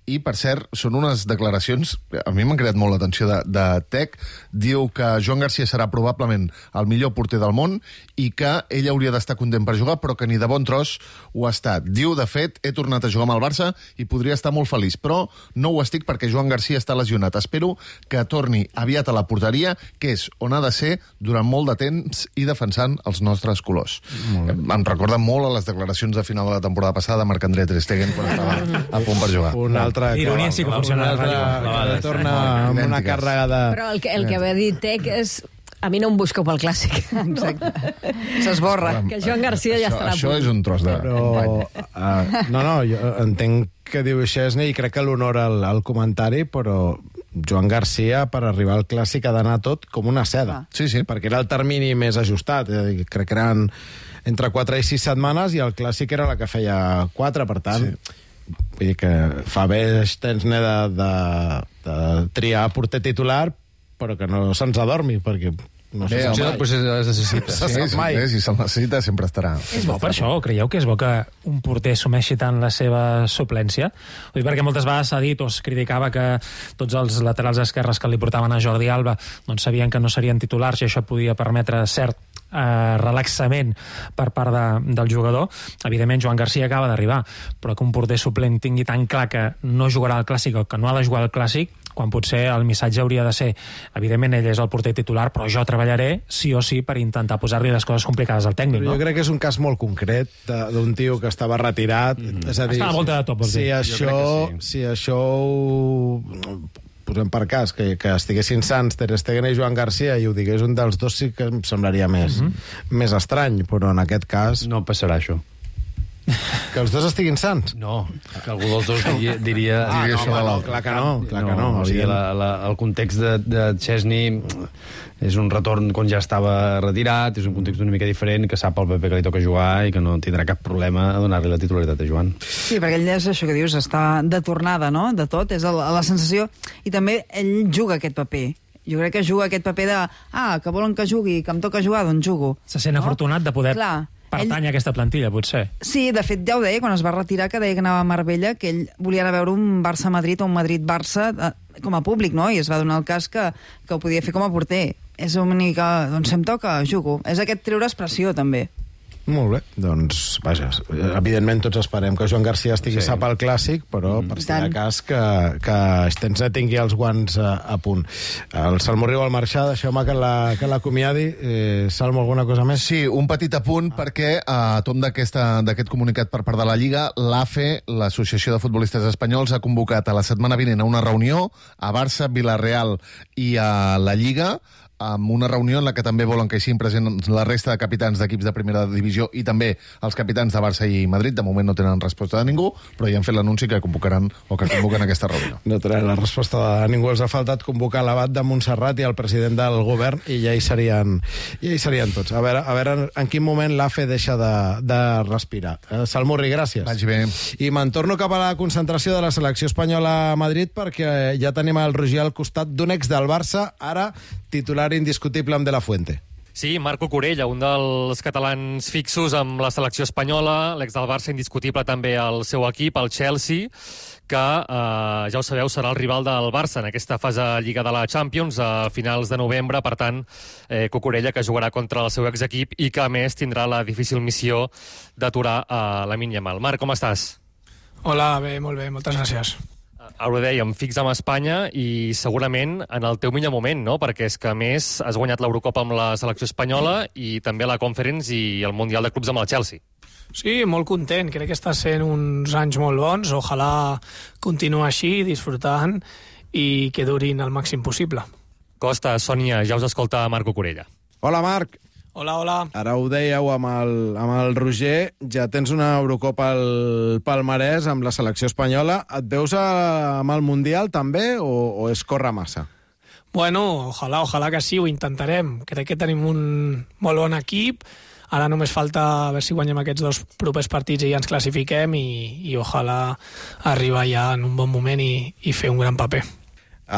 i, per cert, són unes declaracions que a mi m'han creat molt l'atenció de, de Tec. Diu que Joan Garcia serà probablement el millor porter del món i que ell hauria d'estar content per jugar, però que ni de bon tros ho ha estat. Diu, de fet, he tornat a jugar amb el Barça i podria estar molt feliç, però no ho estic perquè Joan Garcia està lesionat. Espero que torni aviat a la porteria, que és on ha de ser durant molt de temps i defensant els nostres colors. Em recorda molt a les declaracions de final de la temporada passada de Marc-André Ter Stegen quan estava a punt per jugar. Un altre ironia sí que funciona. Que torna amb una càrrega de... Però el que, el que va dir Tec és... A mi no em busqueu pel Clàssic. S'esborra. Que Joan Garcia ja estarà... Això és un tros de... Però, uh, no, no, jo entenc que diu Szczęsny i crec que l'honora el, el comentari, però Joan Garcia, per arribar al Clàssic, ha d'anar tot com una seda. Sí, sí. Perquè era el termini més ajustat. Crec que eren entre quatre i sis setmanes i el Clàssic era la que feia quatre, per tant... Sí. Vull dir que fa bé Szczęsny de, de, de triar porter titular, però que no se'ns adormi, perquè no sé si pues es necessita. Sí, sí, sí, sí, si se'l necessita sempre estarà. És bo per això, creieu que és bo que un porter assumeixi tant la seva suplència? Vull dir, perquè moltes vegades s'ha dit o es criticava que tots els laterals esquerres que li portaven a Jordi Alba doncs sabien que no serien titulars i això podia permetre cert eh, relaxament per part de, del jugador. Evidentment Joan Garcia acaba d'arribar, però que un porter suplent tingui tan clar que no jugarà al Clàssic o que no ha de jugar al Clàssic, quan potser el missatge hauria de ser, evidentment ell és el porter titular, però jo treballaré sí o sí per intentar posar-li les coses complicades al tècnic, no? Jo crec que és un cas molt concret d'un tio que estava retirat. Mm. És a dir, està a volta de tot, vols dir. Si això, sí. si això ho posem per cas, que, que estiguessin sants Ter Stegen i Joan Garcia i ho digués un dels dos, sí que em semblaria més, mm-hmm. més estrany, però en aquest cas... No passarà això. Que els dos estiguin sants? No, que algú dels dos diria... diria, ah, diria no, això home, no, clar que no, clar que no. no o sigui, la, la, el context de, de Szczęsny és un retorn quan ja estava retirat, és un context una mica diferent, que sap al Pepe que li toca jugar i que no tindrà cap problema a donar-li la titularitat a Joan. Sí, perquè ell és això que dius, està de tornada, no?, de tot, és la, la sensació, i també ell juga aquest paper. Jo crec que juga aquest paper de, ah, que volen que jugui, que em toca jugar, doncs jugo. Se sent no? afortunat de poder... Clar. Pertany a aquesta plantilla, potser. Sí, de fet, ja ho deia, quan es va retirar, que deia que anava a Marbella, que ell volia anar a veure un Barça-Madrid o un Madrid-Barça eh, com a públic, no? I es va donar el cas que, que ho podia fer com a porter. És una mica, doncs, si em toca, jugo. És aquest treure expressió, també. Molt bé, doncs, vaja, evidentment tots esperem que Joan Garcia estigui sí. sap al Clàssic, però mm. per si de cas que, que Szczęsny tingui els guants a, a punt. El Salmo riu al marxar, deixeu-me que l'acomiadi. Eh, Salmo, alguna cosa més? Sí, un petit apunt, ah. perquè a tom d'aquest comunicat per part de la Lliga, l'A F E, l'Associació de Futbolistes Espanyols, ha convocat a la setmana vinent a una reunió a Barça, Villarreal i a la Lliga, amb una reunió en la que també volen que hi siguin presents la resta de capitans d'equips de primera divisió i també els capitans de Barça i Madrid. De moment no tenen resposta de ningú, però ja han fet l'anunci que convocaran o que convoquen aquesta reunió. No tenen la resposta de ningú. Els ha faltat convocar l'abat de Montserrat i el president del govern i ja hi serien, ja hi serien tots. A veure, a veure en quin moment l'A F E deixa de, de respirar. Eh, Salmurri, gràcies. Vaig bé. I me'n torno cap a la concentració de la selecció espanyola a Madrid perquè ja tenim el Roger al costat d'un ex del Barça, ara titular indiscutible amb De La Fuente. Sí, Marc Cucurella, un dels catalans fixos amb la selecció espanyola, l'ex del Barça indiscutible també al seu equip, el Chelsea, que, eh, ja ho sabeu, serà el rival del Barça en aquesta fase Lliga de la Champions a finals de novembre. Per tant, eh, Cucurella, que jugarà contra el seu exequip i que, a més, tindrà la difícil missió d'aturar a Lamine Yamal. Marc, com estàs? Hola, bé, molt bé, moltes gràcies. Ara ho dèiem, fix amb Espanya i segurament en el teu millor moment, no? Perquè és que, a més, has guanyat l'Eurocopa amb la selecció espanyola i també la Conference i el Mundial de Clubs amb el Chelsea. Sí, molt content. Crec que està sent uns anys molt bons. Ojalà continuï així, disfrutant i que durin el màxim possible. Costa, Sònia, ja us escolta Marc Cucurella. Hola, Marc. Hola, hola. Ara ho dèieu amb el, amb el Roger, ja tens una Eurocopa al palmarès amb la selecció espanyola. Et veus a, amb el Mundial també o, o és córrer massa? Bueno, ojalà, ojalà que sí, ho intentarem. Crec que tenim un molt bon equip. Ara només falta a veure si guanyem aquests dos propers partits i ja ens classifiquem i, i ojalà arribar ja en un bon moment i, i fer un gran paper.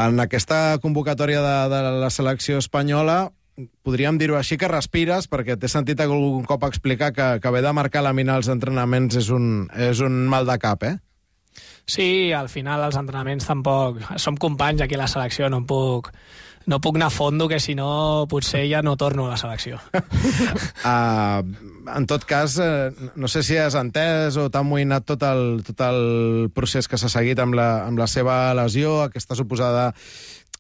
En aquesta convocatòria de, de la selecció espanyola podríem dir-ho així, que respires, perquè t'he sentit algun cop explicar que, que haver de marcar la mina als entrenaments és un, és un mal de cap, eh? Sí, al final els entrenaments tampoc... Som companys aquí a la selecció, no puc, no puc anar a fondo, que si no potser ja no torno a la selecció. uh, en tot cas, uh, no sé si has entès o t'ha amoïnat tot el, tot el procés que s'ha seguit amb la, amb la seva lesió, aquesta suposada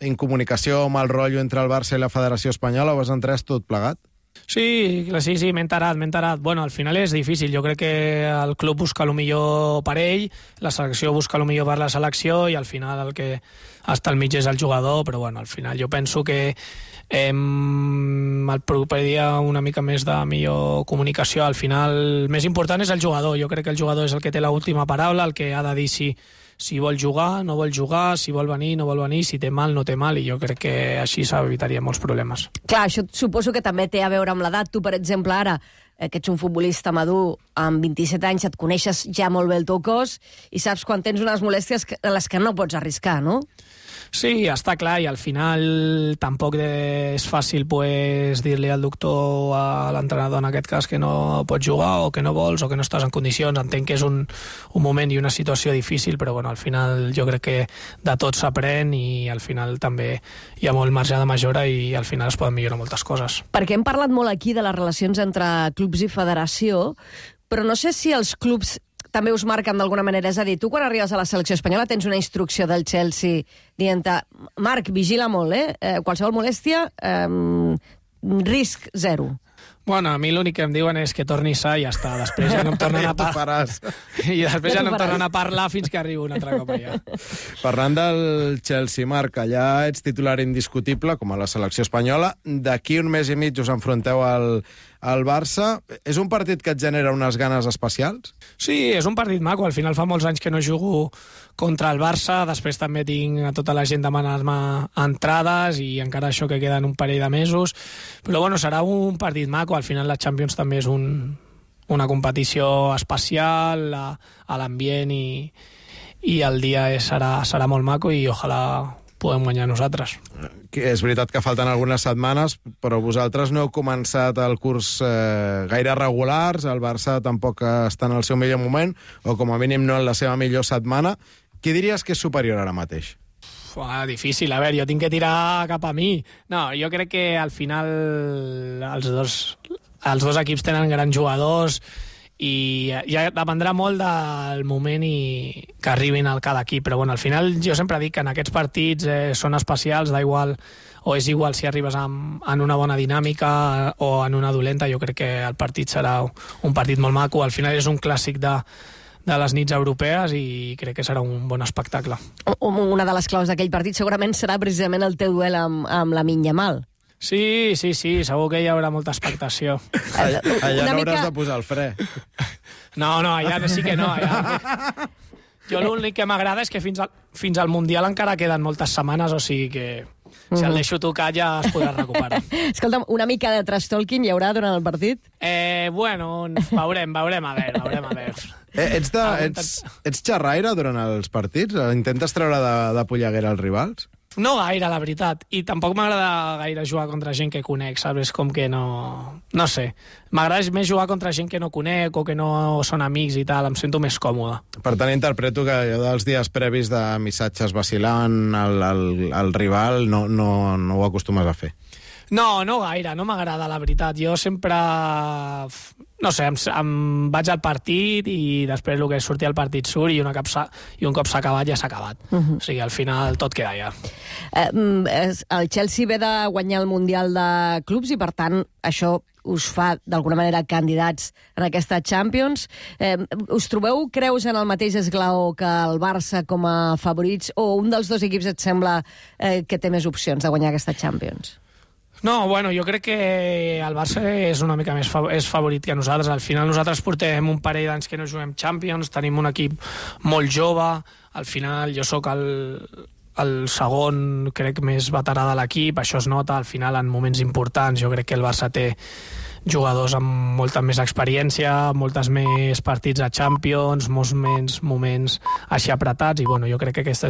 incomunicació, mal rotllo entre el Barça i la Federació Espanyola, ho has entès tot plegat? Sí, sí, sí, m'he enterat, m'he enterat. Bueno, al final és difícil. Jo crec que el club busca el millor per ell, la selecció busca el millor per la selecció i al final el que està al mig és el jugador, però bueno, al final jo penso que eh, el proper dia una mica més de millor comunicació. Al final el més important és el jugador. Jo crec que el jugador és el que té l'última paraula, el que ha de dir si si vol jugar, no vol jugar, si vol venir, no vol venir, si té mal, no té mal, i jo crec que així s'evitaria molts problemes. Clar, això suposo que també té a veure amb l'edat. Tu, per exemple, ara, que ets un futbolista madur, amb vint-i-set anys, et coneixes ja molt bé el teu cos i saps quan tens unes molèsties a les que no pots arriscar, no? Sí, està clar, i al final tampoc és fàcil pues, dir-li al doctor, a l'entrenador en aquest cas, que no pots jugar o que no vols o que no estàs en condicions. Entenc que és un, un moment i una situació difícil, però bueno, al final jo crec que de tot s'aprèn i al final també hi ha molt marge de millora i al final es poden millorar moltes coses. Perquè hem parlat molt aquí de les relacions entre clubs i federació, però no sé si els clubs també us marquen d'alguna manera. És a dir, tu quan arribes a la selecció espanyola tens una instrucció del Chelsea dient-te, Marc, vigila molt, eh? eh qualsevol molèstia, eh, risc zero. Bueno, a mi l'únic que em diuen és que torni sa i ja està. Després ja no em tornen a parlar. I després ja no em tornen a parlar fins que arribo un altre cop allà. Parlant del Chelsea, Marc, allà ets titular indiscutible, com a la selecció espanyola. D'aquí un mes i mig us enfronteu al, al Barça. És un partit que et genera unes ganes especials? Sí, és un partit maco. Al final fa molts anys que no jugo contra el Barça. Després també tinc a tota la gent demanant-me entrades i encara això que queden un parell de mesos. Però bueno, serà un partit maco. Al final la Champions també és un, una competició especial a, a l'ambient i, i el dia és, serà, serà molt maco i ojalà podem guanyar nosaltres. És veritat que falten algunes setmanes, però vosaltres no heu començat el curs eh, gaire regulars, el Barça tampoc està en el seu millor moment, o com a mínim no en la seva millor setmana. Qui diries que és superior ara mateix? Ua, difícil, a veure, jo tinc que tirar cap a mi. No, jo crec que al final els dos, els dos equips tenen grans jugadors i ja dependrà molt del moment i que arribin al cada equip, però bueno, al final jo sempre dic que en aquests partits eh, són especials, da igual, o és igual si arribes amb, en una bona dinàmica o en una dolenta. Jo crec que el partit serà un partit molt maco, al final és un clàssic de de les nits europees i crec que serà un bon espectacle. Una de les claus d'aquell partit segurament serà precisament el teu duel amb, amb Lamine Yamal. Sí, sí, sí, segur que hi haurà molta expectació. Allà no mica... hauràs de posar el fre. No, no, allà sí que no. Allà... Jo l'únic que m'agrada és que fins al, fins al Mundial encara queden moltes setmanes, o sigui que si el deixo tocar ja es podrà recuperar. Escolta'm, una mica de trash talking hi haurà durant el partit? Eh, bueno, veurem, veurem a veure, veurem a veure. Eh, ets, de, ets, ets xerraire durant els partits? Intentes treure de, de polleguera als rivals? No gaire, la veritat. I tampoc m'agrada gaire jugar contra gent que conec, saps? És com que no... No sé. M'agrada més jugar contra gent que no conec o que no són amics i tal. Em sento més còmode. Per tant, interpreto que allò dels dies previs de missatges vacilant al, al, al rival no, no, no ho acostumes a fer. No, no gaire, no m'agrada, la veritat. Jo sempre, no sé, em, em vaig al partit i després el que sortia al partit surt i, una cop i un cop s'ha acabat ja s'ha acabat. Uh -huh. O sigui, al final tot queda ja. Eh, el Chelsea ve de guanyar el Mundial de Clubs i, per tant, això us fa, d'alguna manera, candidats en aquesta Champions. Eh, us trobeu, creus, en el mateix esglaó que el Barça com a favorits, o un dels dos equips et sembla eh, que té més opcions de guanyar aquesta Champions? No, bueno, jo crec que el Barça és una mica més fav és favorit que nosaltres. Al final nosaltres portem un parell d'anys que no juguem Champions, tenim un equip molt jove, al final jo sóc el, el segon, crec, més veterà de l'equip, això es nota al final en moments importants. Jo crec que el Barça té jugadors amb molta més experiència, moltes més partits a Champions, molts més moments així apretats, i bueno, jo crec que aquesta és una